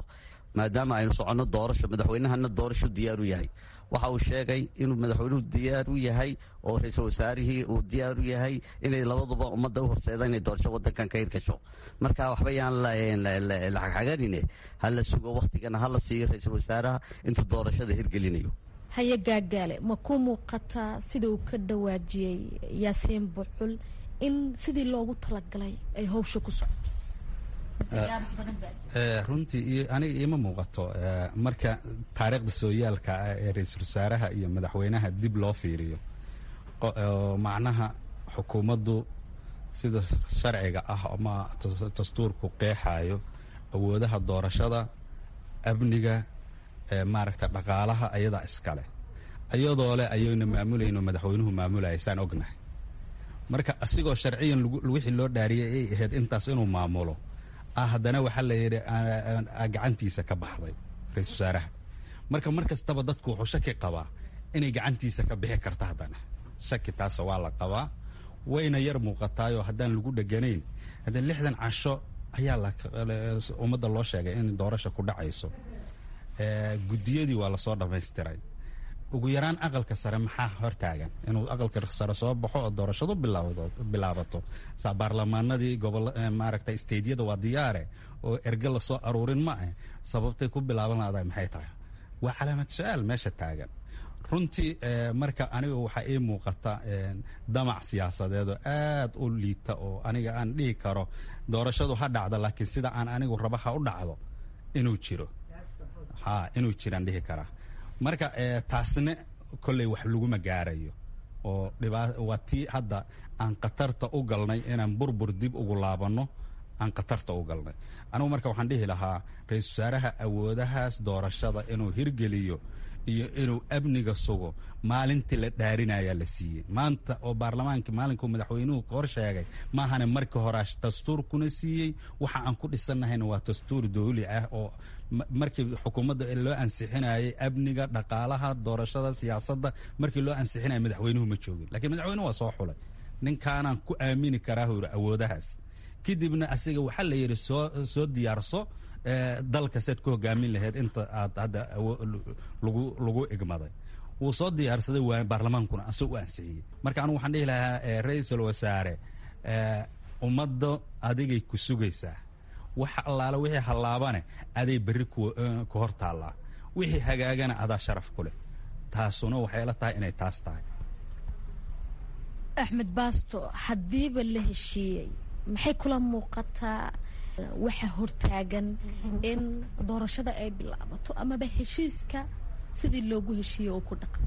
maadaama aynu soconno doorasho, madaxweynahana doorasho diyaar u yahay. Waxa uu sheegay inuu madaxweynuhu diyaar u yahay oo ra-iisul wasaarihii uu diyaar u yahay inay labaduba ummadda u horseedaan inay doorasho wadankan ka hirgasho. Marka waxba yaan la xagxaganine, ha la sugo wakhtigana, ha la siiyo ra-iisul wasaaraha intuu doorashada hirgelinayo. Haye Gaagaale, ma ku muuqataa sida uu ka dhawaajiyey Yaasiin Bucul in sidii loogu talagalay ay hawsha ku socoto? Runtii aniga iima muuqato. Marka taariikhda sooyaalka ah ee ra-iisul wasaaraha iyo madaxweynaha dib loo fiiriyo, macnaha xukuumaddu sida sharciga ah ama dastuurku qeexayo awoodaha doorashada, amniga, maaragta dhaqaalaha ayadaa iskale, ayadoo leh ayayna maamulayno, madaxweynuhu maamulaya saan ognahay. Marka asigoo sharciyan wixii loo dhaariyay ay ahayd intaas inuu maamulo, haddana waxaa la yidhi gacantiisa ka baxday ra-iisul wasaaraha. Marka mar kastaba dadku wuxuu shaki qabaa inay gacantiisa ka bixi karto. Haddana shaki taasa waa la qabaa, wayna yar muuqataayoo haddaan lagu dheganayn. Haddana 60 casho ayaa ummadda loo sheegay in doorasha ku dhacayso. Guddiyadii waa lasoo dhammaystiray. Ugu yaraan aqalka sare maxaa hortaagan inuu aqalka sare soo baxo oo doorashadu bilaabato? Saa baarlamaanadii gobol maaragta steydyada waa diyaare oo erge lasoo aruurin ma ah. Sababtay ku bilaaban lahday maxay tahay? Waa calaamad su-aal meesha taagan runtii. Marka aniga waxaa ii muuqata damac siyaasadeed oo aad u liita oo aniga aan dhihi karo doorashadu ha dhacdo, laakiin sida aan anigu raba ha u dhacdo inuu jiro, ha inuu jiraan dhihi karaa. Marka taasna kolley wax laguma gaarayo oo waa tii hadda aan khatarta u galnay inaan burbur dib ugu laabanno. Aan khatarta u galnay. Anugu marka waxaan dhihi lahaa, ra-iisul wasaaraha awoodahaas doorashada inuu hirgeliyo iyo inuu amniga sugo maalintii la dhaarinayaa la siiyey. Maanta oo baarlamaanka maalinkuu madaxweynuhu ka hor sheegay maahane, markii hore dastuurkuna siiyey. Waxa aan ku dhisannahayna waa dastuur dowli ah oo markii xukuumadda loo ansixinayay amniga, dhaqaalaha, doorashada, siyaasadda markii loo ansixinaya madaxweynuhu ma joogin, lakiin madaxweynuhu waa soo xulay. Ninkaanaan ku aamini karaa huri awoodahaas. Kadibna asiga waxaa la yidhi soo diyaarso dalka sead ku hogaamin lahayd inta aad hadda lagu igmaday. Wuu soo diyaarsaday, waa baarlamaankuna asag u ansixiyey. Marka anugu waxaan dhihi lahaa, ra-iisul wasaare, ummadda adigay ku sugaysaa. Wax allaale wixii hallaabane aday berri ku hor taallaa, wixii hagaagana adaa sharaf ku leh. Taasuna waxay la tahay inay taas tahay. Axmed Baasto, haddiiba la heshiiyey, maxay kula muuqataa waxa hortaagan in doorashada ay bilaabato amaba heshiiska sidii loogu heshiiyey oo ku dhaqan?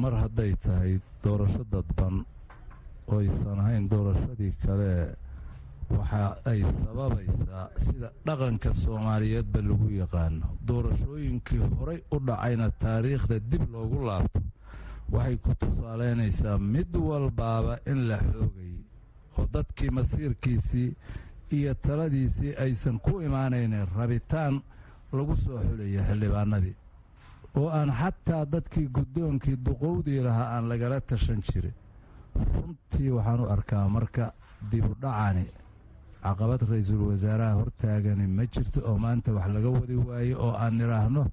Mar hadday tahay doorasho dadban oysan ahayn doorashadii kale, waxa ay sababaysaa sida dhaqanka Soomaaliyeedba lagu yaqaano, doorashooyinkii horay u dhacayna taariikhda dib loogu laabto, waxay ku tusaaleynaysaa mid walbaaba in la xoogay oo dadkii masiirkiisii iyo taladiisii aysan ku imaanaynin rabitaan lagu soo xulaya xildhibaanadii, oo aan xataa dadkii guddoonkii duqowdii lahaa aan lagala tashan jirin. Runtii waxaan u arkaa marka dibudhacani caqabad ra-iisul wasaaraha hortaagani ma jirto oo maanta wax laga wadi waayo oo aan nidhaahno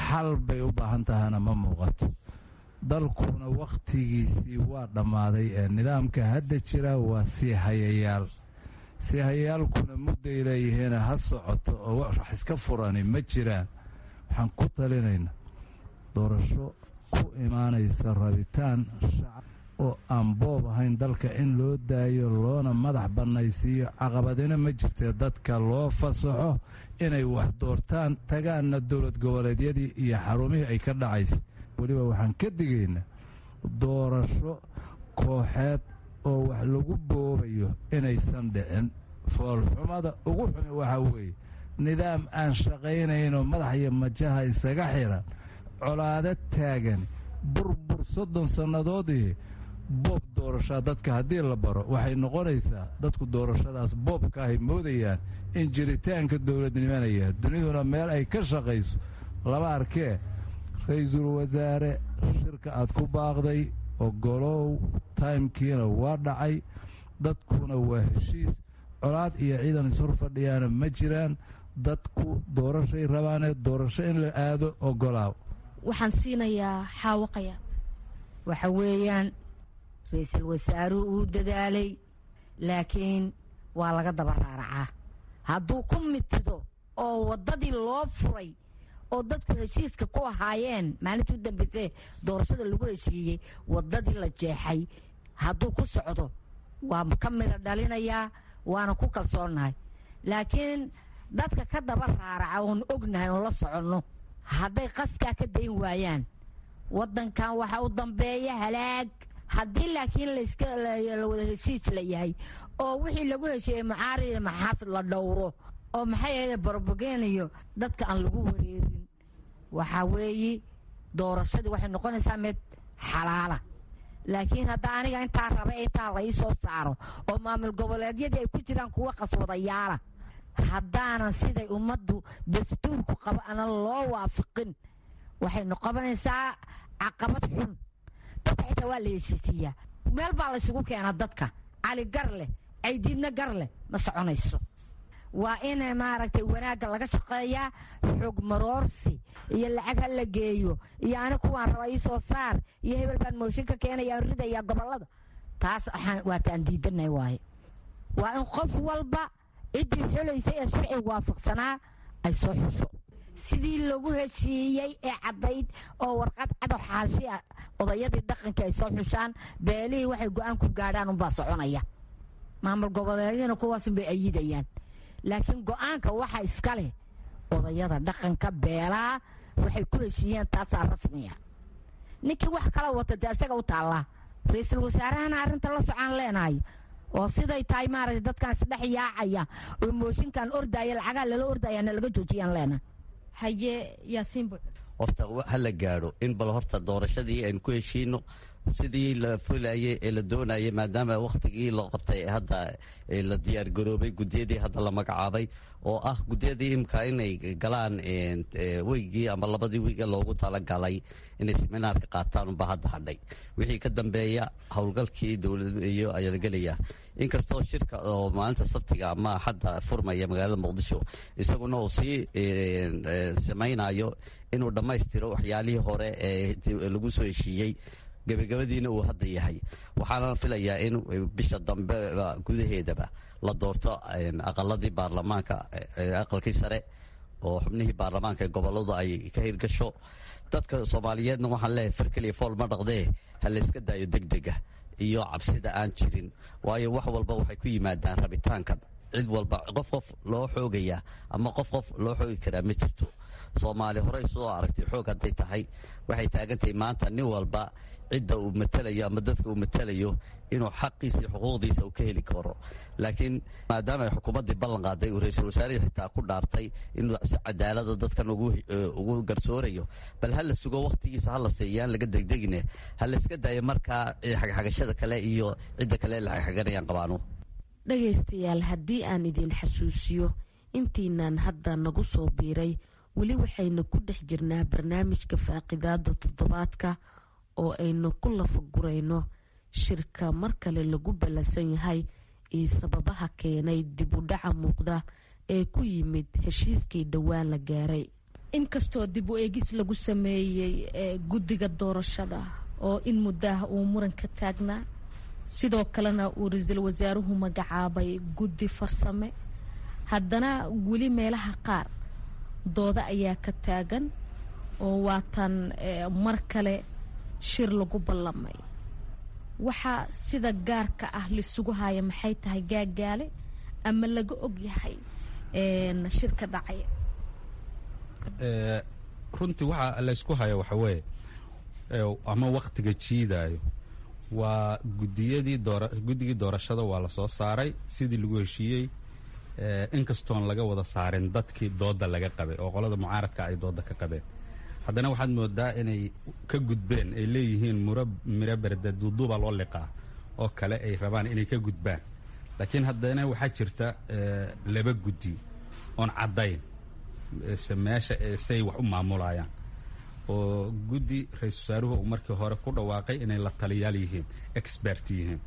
xal bay u baahan tahana ma muuqato. Dalkuna wakhtigiisii waa dhammaaday ee nidaamka hadda jira waa sii hayayaal, sii hayayaalkuna mudday leeyihiina ha socoto oo wax iska furani ma jiraan. Waxaan ku talinaynaa doorasho ku imaanaysa rabitaan shacab oo aan boob ahayn dalka in loo daayo loona madax bannaysiiyo. Caqabadina ma jirtee dadka loo fasaxo inay wax doortaan, tagaanna dowlad goboleedyadii iyo xarumihii ay ka dhacaysa. Weliba waxaan ka digaynaa doorasho kooxeed oo wax lagu boobayo inaysan dhicin. Foolxumada ugu xumi waxaa weeye nidaam aan shaqaynaynoo madax iyo majaha isaga xiran, colaado taagan, burbur 30 sannadoodii, boob doorashaa dadka haddii la baro, waxay noqonaysaa dadku doorashadaas boobka ahay moodayaan in jiritaanka dowladnimanaya. Duniduna meel ay ka shaqayso lama arkee. Ra-iisul wasaare, shirka aad ku baaqday ogolow, taymkiina waa dhacay, dadkuna waa heshiis, colaad iyo ciidan ishor fadhiyaana ma jiraan. Dadku doorashay rabaanee doorasho in la aado ogolaaw. Waxaan siinayaa Xaawaqaya. Waxa weeyaan, ra-iisul wasaaruhu uu dadaalay, laakiin waa laga daba raaracaa. Hadduu ku mitido oo waddadii loo furay oo dadku heshiiska ku ahaayeen maalintii u dambaysay doorashada lagu heshiiyey, waddadii la jeexay hadduu ku socdo, waa ka miro dhalinayaa, waana ku kalsoonnahay. Laakiin dadka ka daba raaraca oon ognahay oon la soconno, hadday qaskaa ka dayn waayaan, waddankan waxa u dambeeya halaag. Haddii laakiin la wada heshiis la yahay oo wixii lagu heshiiyey mucaarida maxaafid la dhowro oo maxay ahayd barobageen iyo dadka aan lagu wareerin, waxaa weeye doorashadii waxay noqonaysaa mid xalaala. Laakiin hadda aniga intaa raba intaa la ii soo saaro oo maamul goboleedyadii ay ku jiraan kuwa qaswadayaala, haddaanan siday ummaddu dastuurku qabo anan loo waafiqin, waxay noqonaysaa caqabad xun. Dadka xitaa waa la heshiisiiyaa, meel baa laysugu keenaa dadka. Cali gar leh, Caydiidna gar leh, ma soconayso. Waa in maaragtay wanaagga laga shaqeeyaa. Xog maroorsi iyo lacag ha la geeyo iyo ani kuwaan raba ii soo saar iyo hebel baan mooshin ka keenaya aan ridayaa gobollada, taas waataan diidanay waaye. Waa in qof walba ciddii xulaysay ee sharciga waafaqsanaa ay soo xusho sidii lagu heshiiyey ee caddayd oo warqad cado xaashi ah. Odayadii dhaqanka ay soo xushaan, beelihii waxay go-aan ku gaadhaan unbaa soconaya. Maamul goboleedyadina kuwaasunbay ayidayaan, laakiin go-aanka waxa iska leh odayada dhaqanka beelaha. Waxay ku heshiiyeen taasaa rasmiya. Ninkii wax kala wata dee isaga u taallaa. Ra-iisul wasaarahana arrinta la socaan leenahay Oo siday tahay maaragtay dadkan isdhex yaacaya oo mooshinkan ordaya, lacagaha lala ordaya, na laga joojiyaan leena. Haye, Yaasiin Buc. Horta ha la gaadho in bal horta doorashadii aynu ku heshiino sidii la fulayay ee la doonayay, maadaama wakhtigii loo qabtay hadda la diyaargaroobay, guddiyadii hadda la magacaabay oo ah guddiyadii imka inay galaan weygii ama labadii wiiga loogu talagalay inay seminaarka qaataan unba hadda hadhay. Wixii ka dambeeya howlgalkii dowlad iyo ayaa la gelaya, inkastoo shirka oo maalinta Sabtiga ama Axadda furmaya magaalada Muqdisho isaguna uu sii samaynayo inuu dhammaystiro waxyaalihii hore ee lagu soo heshiiyey, gebagabadiina uu hadda yahay. Waxaana filayaa in bisha dambe gudaheedaba la doorto aqaladii baarlamaanka, aqalkii sare oo xubnihii baarlamaanka ee goboladu ay ka hirgasho. Dadka Soomaaliyeedna waxaan leeyahay, far keliya fool ma dhaqdee, ha layska daayo degdega iyo cabsida aan jirin, waayo wax walba waxay ku yimaadaan rabitaanka cid walba. Qof qof loo xoogayaa ama qof qof loo xoogi karaa ma jirto. Soomaali horey soo aragtay xoog hadday tahay. Waxay taagantahay maanta nin walba cidda uu matalayo ama dadka uu matalayo inuu xaqiisa iyo xuquuqdiisa uu ka heli karo. Laakiin maadaama ay xukuumaddii ballan qaaday, uu ra-iisul wasaarihii xitaa ku dhaartay inuu si cadaalada dadkan ugu garsoorayo, bal ha la sugo wakhtigiisa, ha la siiyaan, laga degdegine, ha la iska daayo markaa xagxagashada kale iyo cidda kale la xagxaganayaan qabaano. Dhagaystayaal, haddii aan idin xasuusiyo intiinaan hadda nagu soo biiray, weli waxaynu ku dhex jirnaa barnaamijka faaqidaada toddobaadka oo aynu ku lafagurayno shirka mar kale lagu ballansan yahay iyo sababaha keenay dib u dhaca muuqda ee ku yimid heshiiskii dhowaan la gaaray. Inkastoo dib u eegis lagu sameeyey guddiga doorashada oo in muddaah uu muran ka taagnaa, sidoo kalena uu ra-iisul wasaaruhu magacaabay guddi farsame, haddana weli meelaha qaar dooda ayaa ka taagan oo waatan mar kale shir lagu ballamay. Waxaa sida gaarka ah laisugu haya maxay tahay, Gaagaale, ama laga og yahay shirka dhacay? Runtii waxaa laysku haya waxa weeye ama wakhtiga jiidaayo waa gudiyadii guddigii doorashada. Waa la soo saaray sidii lagu heshiiyey, inkastoon laga wada saarin dadkii dooda laga qabay oo qolada mucaaradka ay dooda ka qabeen, haddana waxaad moodaa inay ka gudbeen, ay leeyihiin muro miro berde duuduuba loo liqaa oo kale ay rabaan inay ka gudbaan. Laakiin haddana waxaa jirta laba guddi oon caddayn se meesha say wax u maamulayaan, oo guddi ra-iisul wasaaruhu uu markii hore ku dhawaaqay inay la taliyaal yihiin, expert yihiin,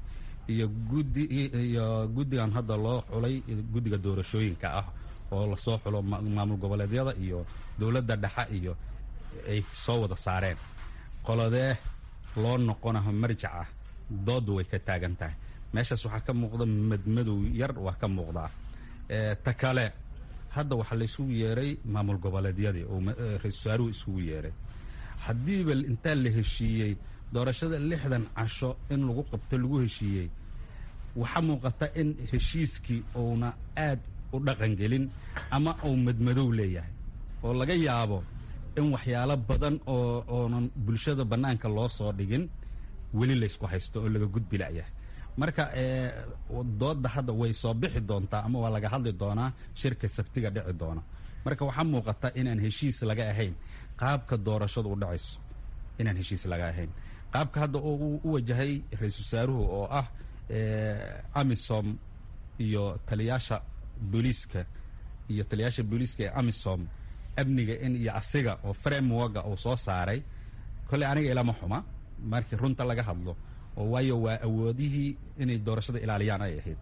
iyo guddi iyo guddigan hadda loo xulay guddiga doorashooyinka ah oo lasoo xulo maamul goboleedyada iyo dowladda dhexe iyo ay soo wada saareen. Qoladee loo noqonaho marjac ah? Dooddu way ka taagan tahay meeshaas. Waxaa ka muuqda madmadow yar waa ka muuqdaa. Ta kale, hadda waxaa laysugu yeeray maamul goboleedyadii oo ra-iisul wasaaruhu isugu yeeray. Haddiiba intaa la heshiiyey doorashada 60 casho in lagu qabto lagu heshiiyey, waxaa muuqata in heshiiskii uuna aad u dhaqangelin ama uu madmadow leeyahay, oo laga yaabo in waxyaalo badan oo oonan bulshada bannaanka loo soo dhigin weli laysku haysto oo laga gudbi la'yahay. Marka doodda hadda way soo bixi doontaa ama waa laga hadli doonaa shirka Sabtiga dhici doona. Marka waxaa muuqata inaan heshiis laga ahayn qaabka doorashadu u dhacayso, inaan heshiis laga ahayn qaabka hadda oo u wajahay ra-iisul wasaaruhu oo ah AMISOM iyo taliyaasha booliiska iyo taliyaasha booliiska ee AMISOM amniga in iyo asiga oo frameworka uu soo saaray. Kolley aniga ilama xuma markii runta laga hadlo, oo waayo waa awoodihii inay doorashada ilaaliyaan ay ahayd.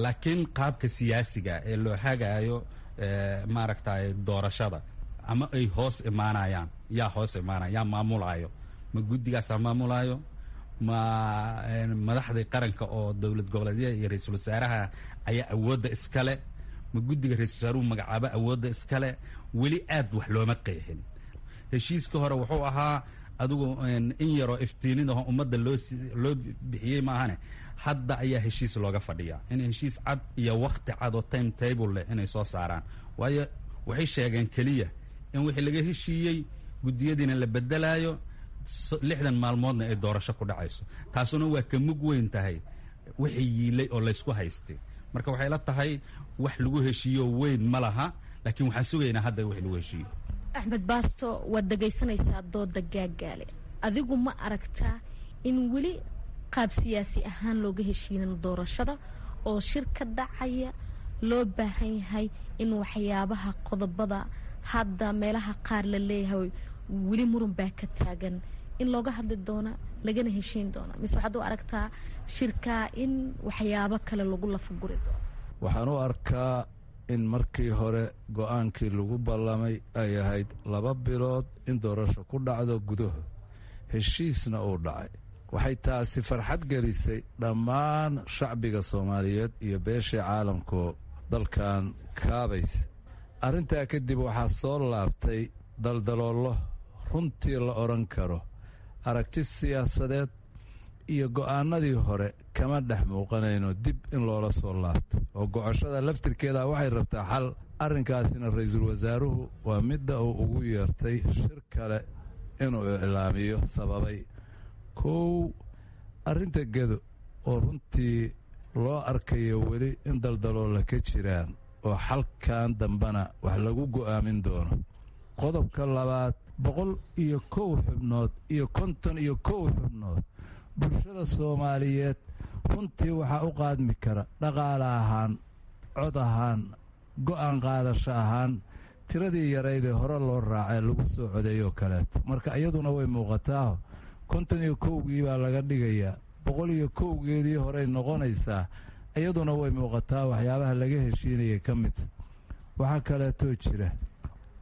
Laakiin qaabka siyaasiga ee loo hagaayo maaragtay doorashada ama ay hoos imaanayaan, yaa hoos imaanaya, yaa maamulaayo? Ma guddigaasaa maamulaayo? Ma madaxdii qaranka oo dowlad goboleedyada iyo ra-iisul wasaaraha ayaa awoodda iskale? Ma guddiga ra-isul wasaaruhu magacaabo awoodda iskale? Weli aad wax looma qeexin. Heshiiska hore wuxuu ahaa adigu in yaroo iftiinidaho ummadda loo bixiyey maahane, hadda ayaa heshiis looga fadhiyaa in heshiis cad iyo wakhti cad oo time table leh inay soo saaraan, waayo waxay sheegeen keliya in wixii laga heshiiyey guddiyadiina la bedelaayo, 60 maalmoodna ay doorasho ku dhacayso. Taasuna waa ka mug weyn tahay Wixii yiilay oo laysku haystay, marka waxay la tahay wax lagu heshiiyo weyn ma laha, laakiin waxaan sugaynaa hadda wixii lagu heshiiyo. Axmed Baasto, waad dhegaysanaysaa dooda Gaagaale. Adigu ma aragtaa in weli qaab siyaasi ahaan looga heshiinin doorashada oo shir ka dhacaya loo baahan yahay in waxyaabaha qodobada hadda meelaha qaar la leeyahay weli muran baa ka taagan in looga hadli doona lagana heshiin doona, mise waxaad u aragtaa shirkaa in waxyaabo kale lagu lafaguri doono? Waxaan u arkaa in markii hore go'aankii lagu ballamay ay ahayd 2 bilood in doorasho ku dhacdo gudahood, heshiisna uu dhacay. Waxay taasi farxad gelisay dhammaan shacbiga Soomaaliyeed iyo beeshii caalamku dalkan kaabaysa. Arrintaa kadib waxaa soo laabtay daldaloollo runtii la odhan karo aragti siyaasadeed iyo go'aanadii hore kama dhex muuqanayno dib in loola soo laabto, oo gocoshada laftirkeeda waxay rabtaa xal. Arrinkaasina ra'iisul wasaaruhu waa midda uu ugu yeertay shir kale inuu iclaamiyo sababay. Kow, arrinta Gedo oo runtii loo arkayo weli in daldaloolla ka jiraan oo xalkan dambena wax lagu go'aamin doono. Qodobka labaad, 101 xubnood iyo 51 xubnood bulshada Soomaaliyeed runtii waxaa u qaadmi kara dhaqaale ahaan, cod ahaan, go'aan qaadasho ahaan tiradii yaraydee hore loo raacee lagu soo codeeyoo kaleeto. Marka iyaduna way muuqataaho 51-gii baa laga dhigayaa, 101-geedii horey noqonaysaa. Iyaduna way muuqataa waxyaabaha laga heshiinayay ka mid. Waxaa kaleetoo jira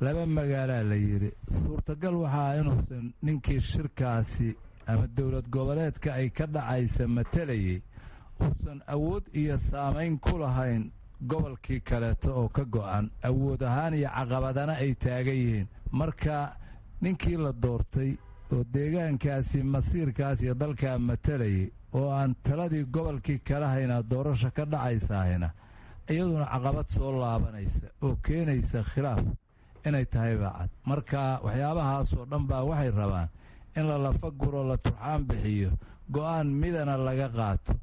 laba magaalaa la yidhi suurtagal waxaa inuusan ninkii shirkaasi ama dowlad goboleedka ay ka dhacaysa matalayay uusan awood iyo saamayn ku lahayn gobolkii kaleeto oo ka go'an awood ahaan iyo caqabadana ay taagan yihiin. Marka ninkii la doortay oo deegaankaasi masiirkaas iyo dalkaa matalayay oo aan taladii gobolkii kala haynaa doorasha ka dhacaysaahina, iyaduna caqabad soo laabanaysa oo keenaysa khilaaf inay tahay baa cad. Marka waxyaabahaasoo dhan baa waxay rabaan in la lafa guro, la turxaan bixiyo, go'aan midana laga qaato,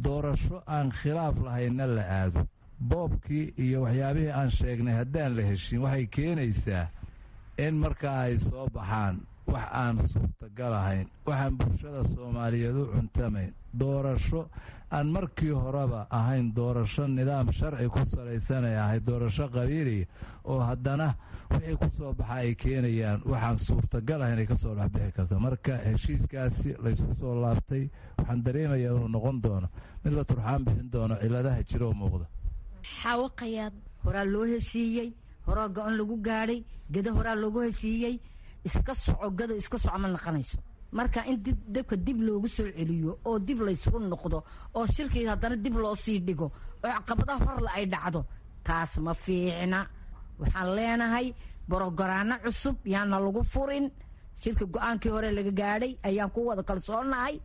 doorasho aan khilaaf lahaynna la aado. Boobkii iyo waxyaabihii aan sheegnay haddaan la heshin waxay keenaysaa in markaa ay soo baxaan wax aan suurtagal ahayn, waxaan bulshada Soomaaliyeed u cuntamayn, doorasho aan markii horeba ahayn doorasho nidaam sharci ku salaysanay ahayd, doorasho qabiiliya oo haddana wixii ku soo baxa ay keenayaan waxaan suurtagal ahayn ay ka soo dhexbixi karta. Marka heshiiskaasi laysku soo laabtay waxaan dareemayaa inuu noqon doono mid la turxaan bixin doono ciladaha jira oo muuqda. Xaawaqayaad. Horaa loo heshiiyey, horaa go-on lagu gaadhay Gado, horaa loogu heshiiyey. Iska soco Gado, iska soco ma naqanayso. Marka in dabka dib loogu soo celiyo oo dib laysugu noqdo oo shirkii haddana dib loo sii dhigo oo caqabadaha horle ay dhacdo, taas ma fiicna. Waxaan leenahay borogoraano cusub yaana lagu furin shirka. Go-aankii hore laga gaadhay ayaan ku wada kalsoonahay.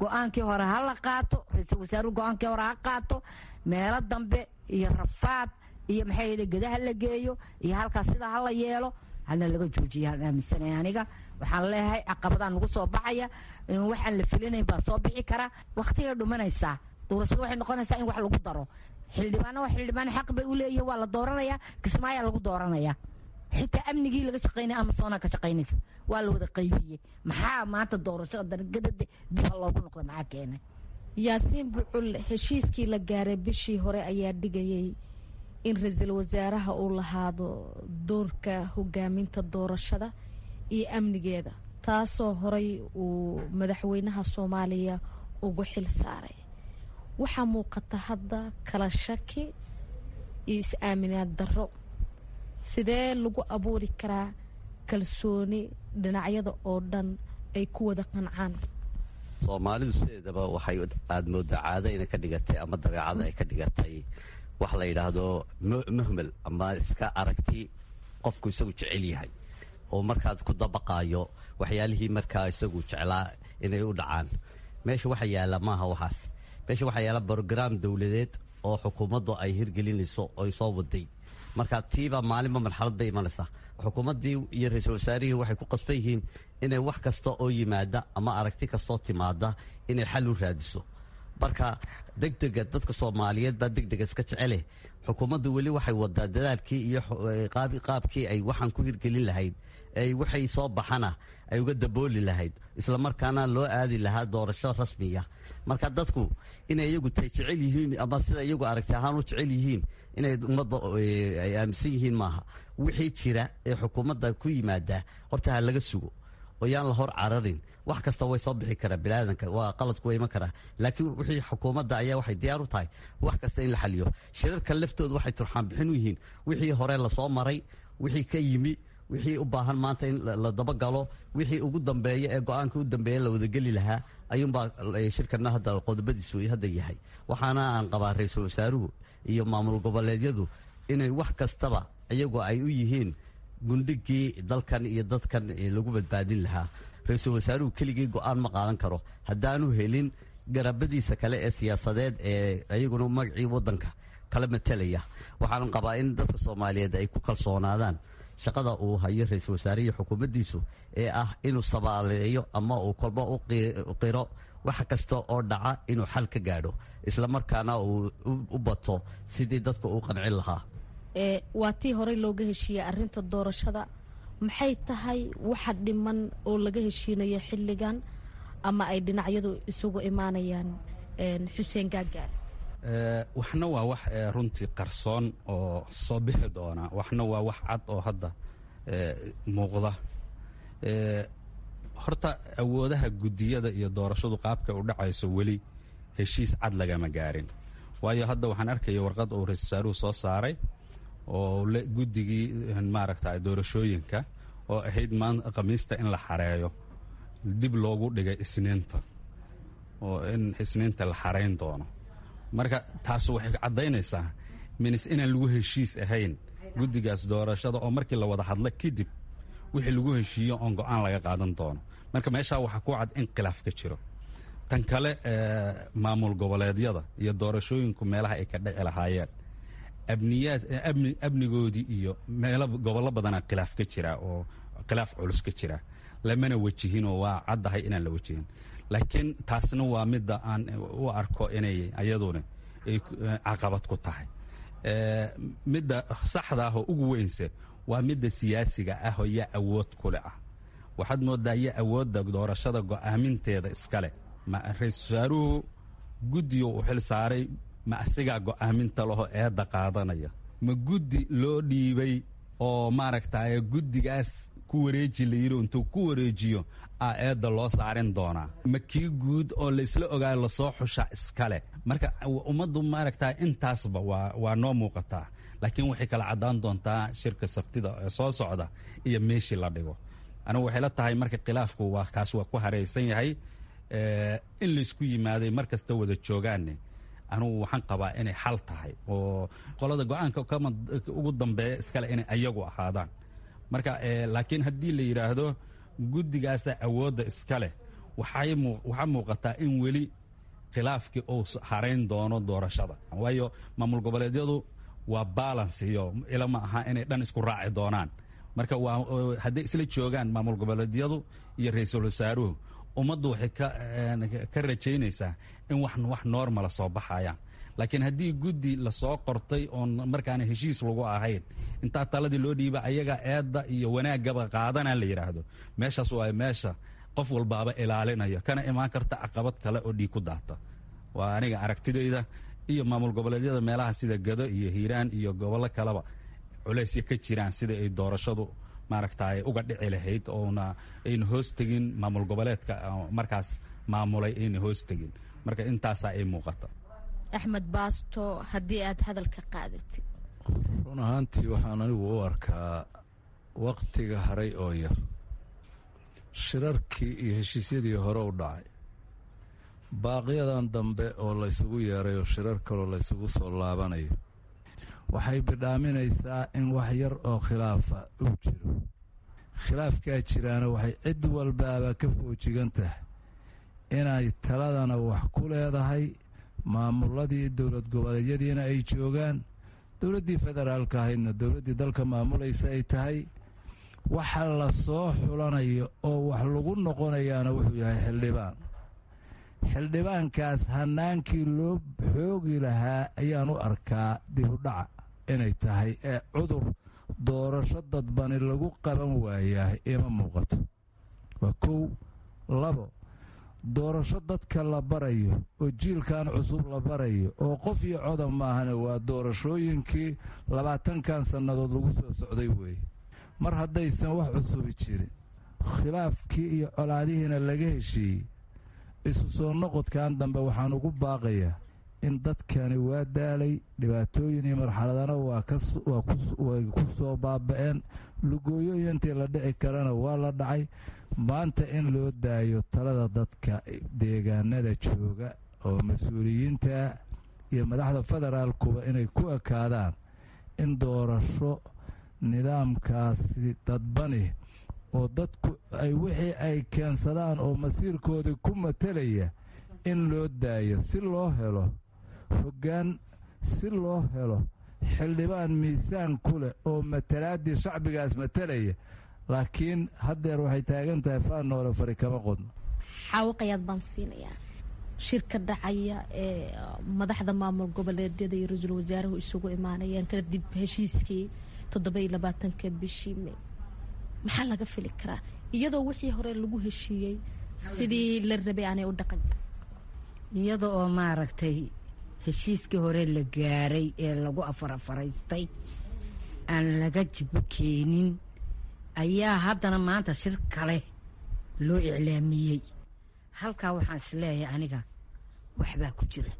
Go-aankii hore ha la qaato, ra-iisul wasaaruhu go-aankii hore ha qaato. Meelo dambe iyo rafaad iyo maxay yidhi gadaha la geeyo iyo halkaas sidaa ha la yeelo hana laga joojiya aan aaminsanay aniga. Waxaan leeyahay caqabadaa nagu soo baxaya, waxaan la filinayn baa soo bixi kara. Waqtigay dhumanaysaa doorashada, waxay noqonaysaa in wax lagu daro xildhibaano. Waa xildhibaan, xaq bay u leeyihin, waa la dooranayaa, Kismaayaa lagu dooranayaa. Xitaa amnigii laga shaqaynaya Amazona ka shaqaynaysa waa la wada qaybiyey. Maxaa maanta doorashada dargadada dib ha loogu noqda maxaa keenay? Yaasiin Bucul, heshiiskii la gaaray bishii hore ayaa dhigayay in ra-iisul wasaaraha uu lahaado doorka hogaaminta doorashada iyo amnigeeda, taasoo horay uu madaxweynaha Soomaaliya ugu xil saaray. Waxaa muuqata hadda kala shaki iyo is-aaminaad darro. Sidee lagu abuuri karaa kalsooni dhinacyada oo dhan ay ku wada qancaan? Soomaalidu sideedaba waxay aada moodaa caado inay ka dhigatay ama dabeecada ay ka dhigatay wax la yidhaahdo muhmel ama iska aragti qofku isagu jecel yahay oo markaad ku dabaqaayo waxyaalihii markaa isagu jeclaa inay u dhacaan. Meesha waxa yaalla maaha waxaas. Meesha waxaa yaalla brograam dowladeed oo xukuumaddu ay hirgelinayso oy soo waday. Marka tiiba maalinba marxalad bay imanaysaa. Xukuumaddii iyo ra-iisul wasaarihii waxay ku qasban yihiin inay wax kasta oo yimaada ama aragti kastoo timaada inay xal u raadiso. Marka degdega dadka Soomaaliyeed baa degdega iska jecele. Xukuumaddu weli waxay wadaa dadaalkii iyo qaabkii ay waxaan ku hirgelin lahayd, ay waxay soo baxana ay uga dabooli lahayd, islamarkaana loo aadi lahaa doorasho rasmiya. Marka dadku inay iyagu tay jecel yihiin ama sida iyagu aragti ahaan u jecel yihiin inay ummadda ay aaminsan yihiin maaha. Wixii jira ee xukuumadda ku yimaada horta ha laga sugo oo yaan la hor cararin. Wax kasta way soo bixi karaa, biniaadanka waa qaladku waa iman karaa, laakiin wixii xukuumadda ayaa waxay diyaar u tahay wax kasta in la xaliyo. Shirarka laftooda waxay turxaan bixin u yihiin wixii hore lasoo maray, wixii ka yimi, wixii u baahan maanta in la dabagalo, wixii ugu dambeeya ee go-aanka u dambeeya la wadageli lahaa ayuunbaa shirkana hadda qodobadiisu hadda yahay. Waxaana aan qabaa ra-iisul wasaaruhu iyo maamul goboleedyadu inay wax kastaba iyagoo ay u yihiin gundhigii dalkan iyo dadkan lagu badbaadin lahaa. Ra-iisul wasaaruhu keligii go-aan ma qaadan karo haddaanu helin garabadiisa kale ee siyaasadeed ee iyaguna magacii wadanka kala matelaya. Waxaan qabaa in dadka Soomaaliyeed ay ku kalsoonaadaan shaqada uu hayo ra-iisul wasaare iyo xukuumaddiisu ee ah inuu sabaaleeyo ama uu kolba u qiro wax kasta oo dhaca inuu xal ka gaadho, islamarkaana uu u bato sidii dadka uu qancin lahaa. Waa tii horey looga heshiiyey arrinta doorashada. Maxay tahay waxa dhiman oo laga heshiinaya xilligan ama ay dhinacyadu isugu imaanayaan, Xuseen Gaagaale? Waxna waa wax runtii qarsoon oo soo bixi doona, waxna waa wax cad oo hadda muuqda. Horta awoodaha guddiyada iyo doorashadu qaabka u dhacayso weli heshiis cad lagama gaarin, waayo hadda waxaan arkaya warqad uu ra-isul wasaaruhu soo saaray oo guddigii maaragta doorashooyinka oo ahayd maanta Khamiista in la xareeyo dib loogu dhigay Isniinta, oo in Isniinta la xarayn doono. Marka taas waxay caddaynaysaa minis inaan lagu heshiis ahayn guddigaas doorashada, oo markii la wada hadla kadib wixii lagu heshiiyo oon go-aan laga qaadan doono. Marka meeshaa waxaa ku cad in khilaaf ka jiro. Tan kale, maamul goboleedyada iyo doorashooyinku meelaha ay ka dhici lahaayeen, abniyaad amnigoodii iyo meelo gobollo badanaa khilaaf ka jira oo khilaaf culus ka jira, lamana wajihinoo waa caddahay inaan la wajihin. Laakiin taasna waa midda aan u arko inay ayaduna ay caqabad ku tahay. Midda saxda ah oo ugu weynse waa midda siyaasiga ah oo yaa awood kule ah. Waxaad moodaa yaa awoodda doorashada go'aaminteeda iskale? Ma ra-iisul wasaaruhu guddiga uu xil saaray? Ma asigaa go'aaminta laho eedda qaadanaya? Ma guddi loo dhiibay oo maaragtay guddigaas ku wareeji la yidhi intuu ku wareejiyo a eedda loo saarin doonaa? Ma kii guud oo laysla ogaayo lasoo xushaa iskale? Marka ummaddu maaragta intaasba waa noo muuqataa, laakiin waxay kala caddaan doontaa shirka Sabtida ee soo socda iyo meeshii la dhigo. Anigu waxay la tahay marka khilaafku waa kaas, waa ku haraysan yahay in laysku yimaaday mar kasta wada joogaanne. Anugu waxaan qabaa inay xal tahay oo qolada go-aanka ugu dambeeya iskale inay ayagu ahaadaan. Marka laakiin haddii la yidhaahdo guddigaasa awoodda iska leh, waxaa muuqataa in weli khilaafkii uu harayn doono doorashada, waayo maamul goboleedyadu waa balance iyo ilama aha inay dhan isku raaci doonaan. Marka waa hadday isla joogaan maamul goboleedyadu iyo ra-iisul wasaaruhu, ummaddu waxay ka rajaynaysaa in wax normala soo baxayaan. Laakiin haddii guddi lasoo qortay oon markaana heshiis lagu ahayn intaa taladii loo dhiiba ayaga eedda iyo wanaaggaba qaadana la yidhaahdo, meeshaas waa meesha qof walbaaba ilaalinayo kana imaan karta caqabad kale oo dhiig ku daata. Waa aniga aragtidayda. Iyo maamul goboleedyada meelaha sida Gado iyo Hiiraan iyo gobollo kaleba culaysya ka jiraan sida ay doorashadu maaragtay uga dhici lahayd oona ayna hoos tegin maamul goboleedka markaas maamulay ayna hoos tegin. Marka intaasaa ay muuqata. Axmed Baasto, haddii aad hadalka qaadatid. Run ahaantii waxaan anigu u arkaa wakhtiga haray oo yar, shirarkii iyo heshiisyadii hore u dhacay, baaqyadan dambe oo laysugu yeeray oo shirar kaloo laysugu soo laabanayo, waxay bidhaaminaysaa in wax yar oo khilaafa uu jiro. Khilaafkaa jiraana waxay cid walbaaba ka foojigan tahay inay taladana wax ku leedahay, maamuladii dowlad goboleedyadiina ay joogaan, dowladdii federaalka ahaydna dowladdii dalka maamulaysa ay tahay. Waxa la soo xulanayo oo wax lagu noqonayaana wuxuu yahay xildhibaan. Xildhibaankaas hanaankii loo xoogi lahaa ayaan u arkaa dibudhaca inay tahay ee cudur doorasho dadbani lagu qaban waayaa ima muuqato. Waa kow. Labo, doorasho dadka la barayo oo jiilkan cusub la barayo oo qof iyo coda maahane, waa doorashooyinkii 20kan sannadood lagu soo socday weeye. Mar haddaysan wax cusubi jirin, khilaafkii iyo colaadihiina laga heshiiyey, isu soo noqodkan dambe waxaan ugu baaqayaa in dadkani waa daalay, dhibaatooyin iyo marxaladana way ku soo baaba'een, lugooyooyin intii la dhici karana waa la dhacay. Maanta in loo daayo talada dadka deegaanada jooga oo mas-uuliyiinta iyo madaxda federaalkuba inay ku ekaadaan in doorasho nidaamkaasi dadbani oo dadku ay wixii ay keensadaan oo masiirkoodii ku matelaya in loo daayo, si loo helo hoggaan, si loo helo xildhibaan miisaan ku leh oo matalaaddii shacbigaas matalaya. Laakiin haddeer waxay taagan tahay faan noole fari kama qodno. Xaawaqayaad baan siinayaa. Shirka dhacaya ee madaxda maamul goboleedyada iyo ra-iisul wasaaruhu isugu imaanayaan kadib heshiiskii 27-ka bishii May, maxaa laga fili karaa iyadoo wixii hore lagu heshiiyey sidii la rabay aanay u dhaqan? Iyada oo maaragtay heshiiskii hore la gaaray ee lagu afarafaraystay aan laga jibo keenin ayaa haddana maanta shir kale loo iclaamiyey. Halkaa waxaan isleeyahay aniga waxbaa ku jira,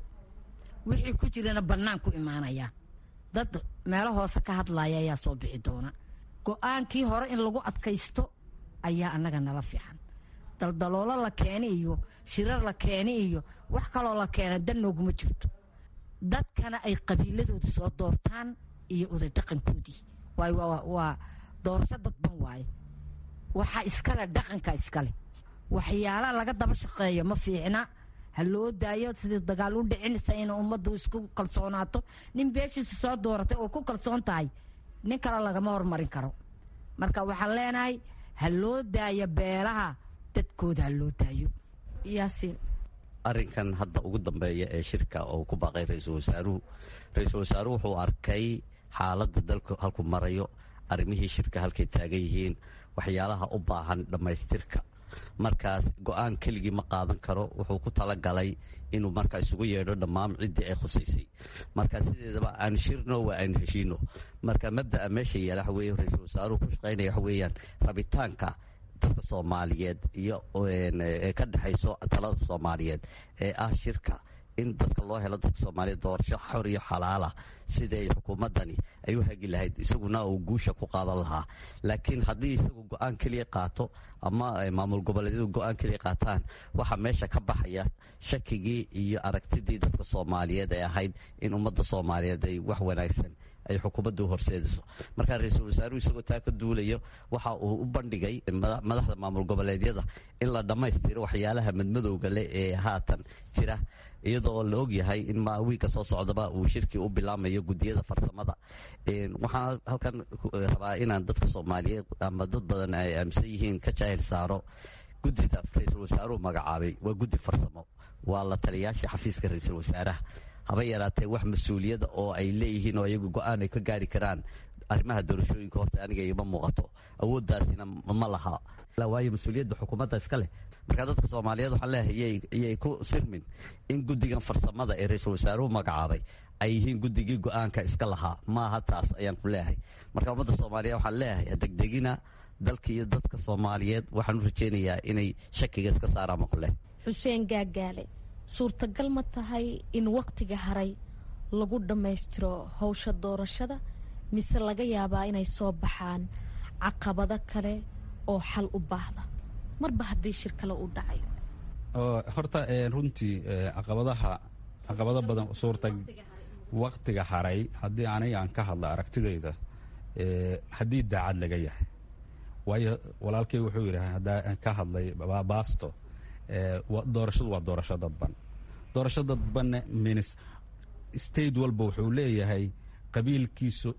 wixii ku jirana bannaan ku imaanaya, dad meelo hoose ka hadlaya ayaa soo bixi doona. Go-aankii hore in lagu adkaysto ayaa annaga nala fiican. Daldaloolo la keeni iyo shirar la keeni iyo wax kaloo la keena dan nooguma jirto. Dadkana ay qabiiladooda soo doortaan iyo oday dhaqankoodii, waayo waa doorasho dadban waaye, waxaa iskale dhaqanka iskale. Waxyaalaha laga daba shaqeeyo ma fiicna, ha loo daayo sidii dagaal u dhicinaysa ina ummaddu isku kalsoonaato. Nin beeshiisa soo dooratay oo ku kalsoon tahay nin kale lagama hormarin karo. Marka waxaan leenahay ha loo daayo beelaha dadkooda, ha loo daayo. Yaasiin. Arrinkan hadda ugu dambeeya ee shirka oo ku baaqay ra-iisul wasaaruhu, ra-iisul wasaaruhu wuxuu arkay xaaladda dalku halku marayo, arrimihii shirka halkay taagan yihiin, waxyaalaha u baahan dhammaystirka. Markaas go-aan keligii ma qaadan karo, wuxuu ku talagalay inuu marka isugu yeedho dhammaan ciddii ay khusaysay. Marka sideedaba aan shirno waa aan heshiino. Marka mabda'a meesha yaala waxa weeye ra-iisul wasaaruhu ku shaqaynaya waxa weeyaan rabitaanka dadka Soomaaliyeed iyo ee ka dhexayso talada Soomaaliyeed ee ah shirka in dadka loo helo, dadka Soomaaliyeed doorasho xor iyo xalaala siday xukuumaddani ay u hagi lahayd, isaguna uu guusha ku qaadan lahaa. Laakiin haddii isagu go-aan keliya qaato ama maamul goboleedyadu go-aan keliya qaataan, waxaa meesha ka baxaya shakigii iyo aragtidii dadka Soomaaliyeed ee ahayd in ummadda Soomaaliyeed ay wax wanaagsan ay xukuumaddu horseedayso. Marka ra-iisul wasaaruhu isagoo taa ka duulayo waxa uu u bandhigay madaxda maamul goboleedyada in la dhammaystiro waxyaalaha madmadowga leh ee haatan jira, iyadoo la ogyahay in wiigka soo socdaba uu shirkii u bilaamayo guddiyada farsamada. Waxaan halkan rabaa inaan dadka Soomaaliyeed ama dad badan ay aaminsan yihiin ka jaahil saaro. Guddida ra-iisul wasaaruhu magacaabay waa guddi farsamo, waa la taliyaasha xafiiska ra-iisul wasaaraha. Haba yaraatee wax mas-uuliyada oo ay leeyihiin oo iyagu go-aan ay ka gaari karaan arrimaha doorashooyinka horta aniga igama muuqato, awooddaasina ma laha, waayo mas-uuliyadda xukuumadda iska leh. Marka dadka Soomaaliyeed waxaan leeyahay iyay ku sirmin in guddigan farsamada ee ra-iisul wasaaruhu magacaabay ay yihiin guddigii go-aanka iska lahaa. Maaha taas ayaan ku leeyahay. Marka ummadda Soomaaliyeed waxaan leeyahay degdegina dalka iyo dadka Soomaaliyeed waxaan u rajaynayaa inay shakiga iska saaraan ma ku leh. Xuseen Gaagaale, suurtagal ma tahay in wakhtiga haray lagu dhammaystiro howsha doorashada, mise laga yaabaa inay soo baxaan caqabado kale oo xal u baahda marba haddii shir kale uu dhacayo? Horta runtii caqabadaha, caqabado badan suurta waktiga haray haddii aniga aan ka hadla aragtidayda, haddii daacad laga yahay, waayo walaalkay wuxuu yidhi haddaa ka hadlay baasto, doorashadu waa doorasho dadban. Doorasho dadbanne minis state walba wuxuu leeyahay qabiilkiisu,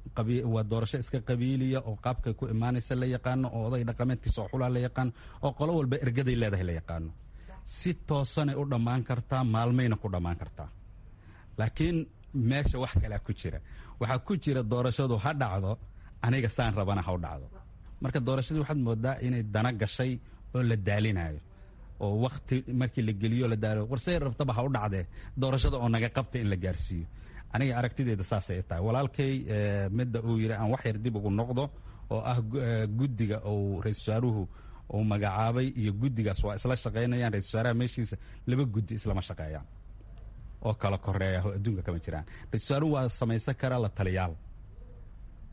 waa doorasho iska qabiiliya oo qaabkay ku imaanaysa la yaqaano, oo oday dhaqameedkiisa oo xulaa la yaqaano, oo qolo walba ergaday leedahay la yaqaano. Si toosanay u dhammaan kartaa, maalmayna ku dhammaan kartaa, laakiin meesha wax kalaa ku jira. Waxaa ku jira doorashadu ha dhacdo, aniga saan rabana ha u dhacdo. Marka doorashadii waxaad moodaa inay dana gashay oo la daalinayo oo wakti markii la geliyo la daalo, warsay rabtaba ha u dhacdee, doorashada oo naga qabta in la gaarsiiyo. Aniga aragtideeda saasay tahay. Walaalkay midda uu yidhi aan wax yar dib ugu noqdo oo ah guddiga uu ra-isul wasaaruhu uu magacaabay iyo guddigaas waa isla shaqaynayaan. Ra-isul wasaaraha meeshiisa laba guddi islama shaqeeyaan oo kala koreeya oo adduunka kama jiraan. Ra-isul wasaaruhu waa samaysan karaa la taliyaal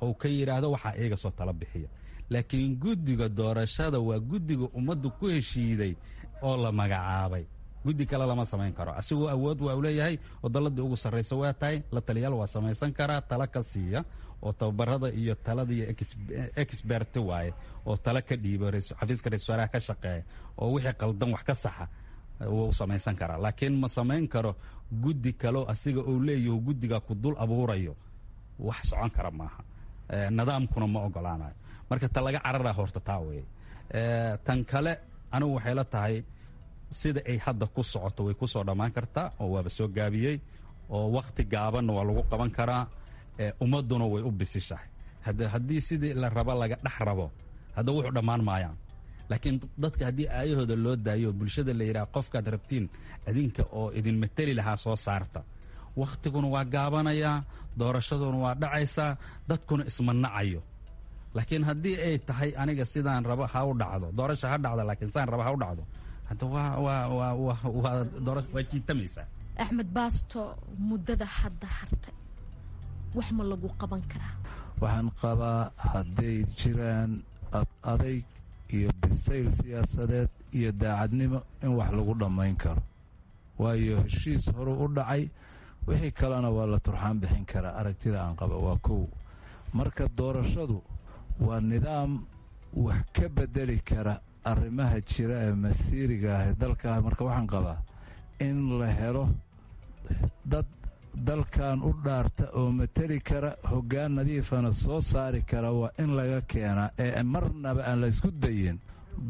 ou ka yidhaahdo waxaa iyaga soo tala bixiya, laakiin guddiga doorashada waa guddiga ummaddu ku heshiiday oo la magacaabay. Guddi kale lama samayn karo. Asigoo awood waa u leeyahay oo dalladii ugu sarraysa waa tahay, la taliyaal waa samaysan karaa tala ka siiya oo tababarada iyo talada iyo expert waaye oo tala ka dhiibo xafiiska ra-isul wasaaraha ka shaqeeya oo wixii qaldan wax ka saxa wuu samaysan karaa, laakiin ma samayn karo guddi kaleo asiga uu leeyaho guddiga ku dul abuurayo. Wax socon kara maaha, nidaamkuna ma ogolaanayo. Marka ta laga cararaa horta taa weye. Tan kale anigu waxay la tahay sida ay hadda ku socoto way ku soo dhammaan kartaa oo waaba soo gaabiyey oo wakhti gaabanna waa lagu qaban karaa, ummadduna way u bisishahay. Haddii sidii la rabo laga dhex rabo, hadda wuxuu dhammaan maayaan. Laakiin dadka haddii aayahooda loo daayo, bulshada la yidhaha qofkaad rabtiin adinka oo idin mateli lahaa soo saarta, wakhtiguna waa gaabanayaa, doorashaduna waa dhacaysaa, dadkuna isma nacayo. Laakiin haddii ay tahay aniga sidaan rabo ha u dhacdo doorasha, ha dhacdo, laakiin sidaan rabo ha u dhacdo, hadda waa jiitamaysaa. Axmed Baasto, muddada hadda hartay wax ma lagu qaban karaa? Waxaan qabaa hadday jiraan adayg iyo bisayl siyaasadeed iyo daacadnimo in wax lagu dhammayn karo, waayo heshiis horu u dhacay, wixii kalena waa la turxaan bixin karaa. Aragtida aan qaba waa kow. Marka doorashadu waa nidaam wax ka bedeli kara arrimaha jira ee masiiriga ah ee dalka. Marka waxaan qabaa in la helo dad dalkan u dhaarta oo mateli kara, hoggaan nadiifana soo saari kara, waa in laga keenaa ee marnaba aan la isku dayin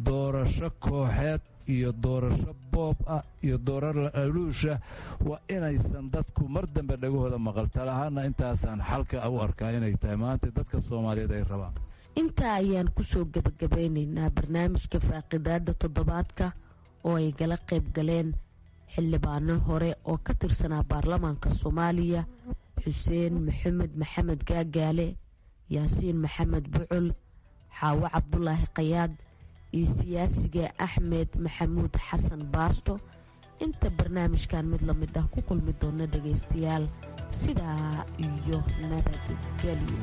doorasho kooxeed iyo doorasho boob ah iyo dooraro aluusha. Waa inaysan dadku mar dambe dhagahooda maqal. Talahaana intaasaan xalka u arkaa inay tahay maanta dadka Soomaaliyeed ay rabaan. Intaa ayaan kusoo gebagabeynaynaa barnaamijka faaqidaada toddobaadka oo ay gala qayb galeen xildhibaano hore oo ka tirsanaa baarlamaanka Soomaaliya, Xuseen Maxamed Maxamed Gaagaale, Yaasiin Maxamed Bucul, Xaawo Cabdulaahi Khayaad iyo siyaasiga Axmed Maxamuud Xasan Baasto. Inta barnaamijkan mid la mid ah ku kulmi doona dhagaystayaal, sidaa iyo nabadgelyo.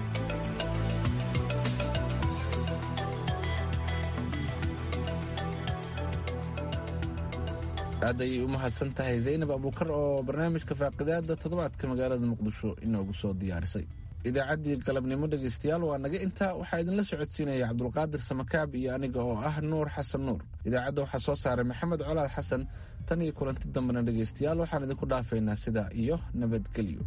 Aad ayay u mahadsan tahay Zaynab Abuukar oo barnaamijka faaqidaada toddobaadka magaalada Muqdisho inoogu soo diyaarisay. Idaacaddii galabnimo dhegaystayaal waa naga intaa. Waxaa idinla socodsiinaya Cabdulqaadir Samakaab iyo aniga oo ah Nuur Xasan Nuur. Idaacadda waxaa soo saaray Maxamed Colaad Xasan. Tan iyo kulanti dambena dhegaystayaal waxaan idinku dhaafaynaa sidaa iyo nabadgelyo.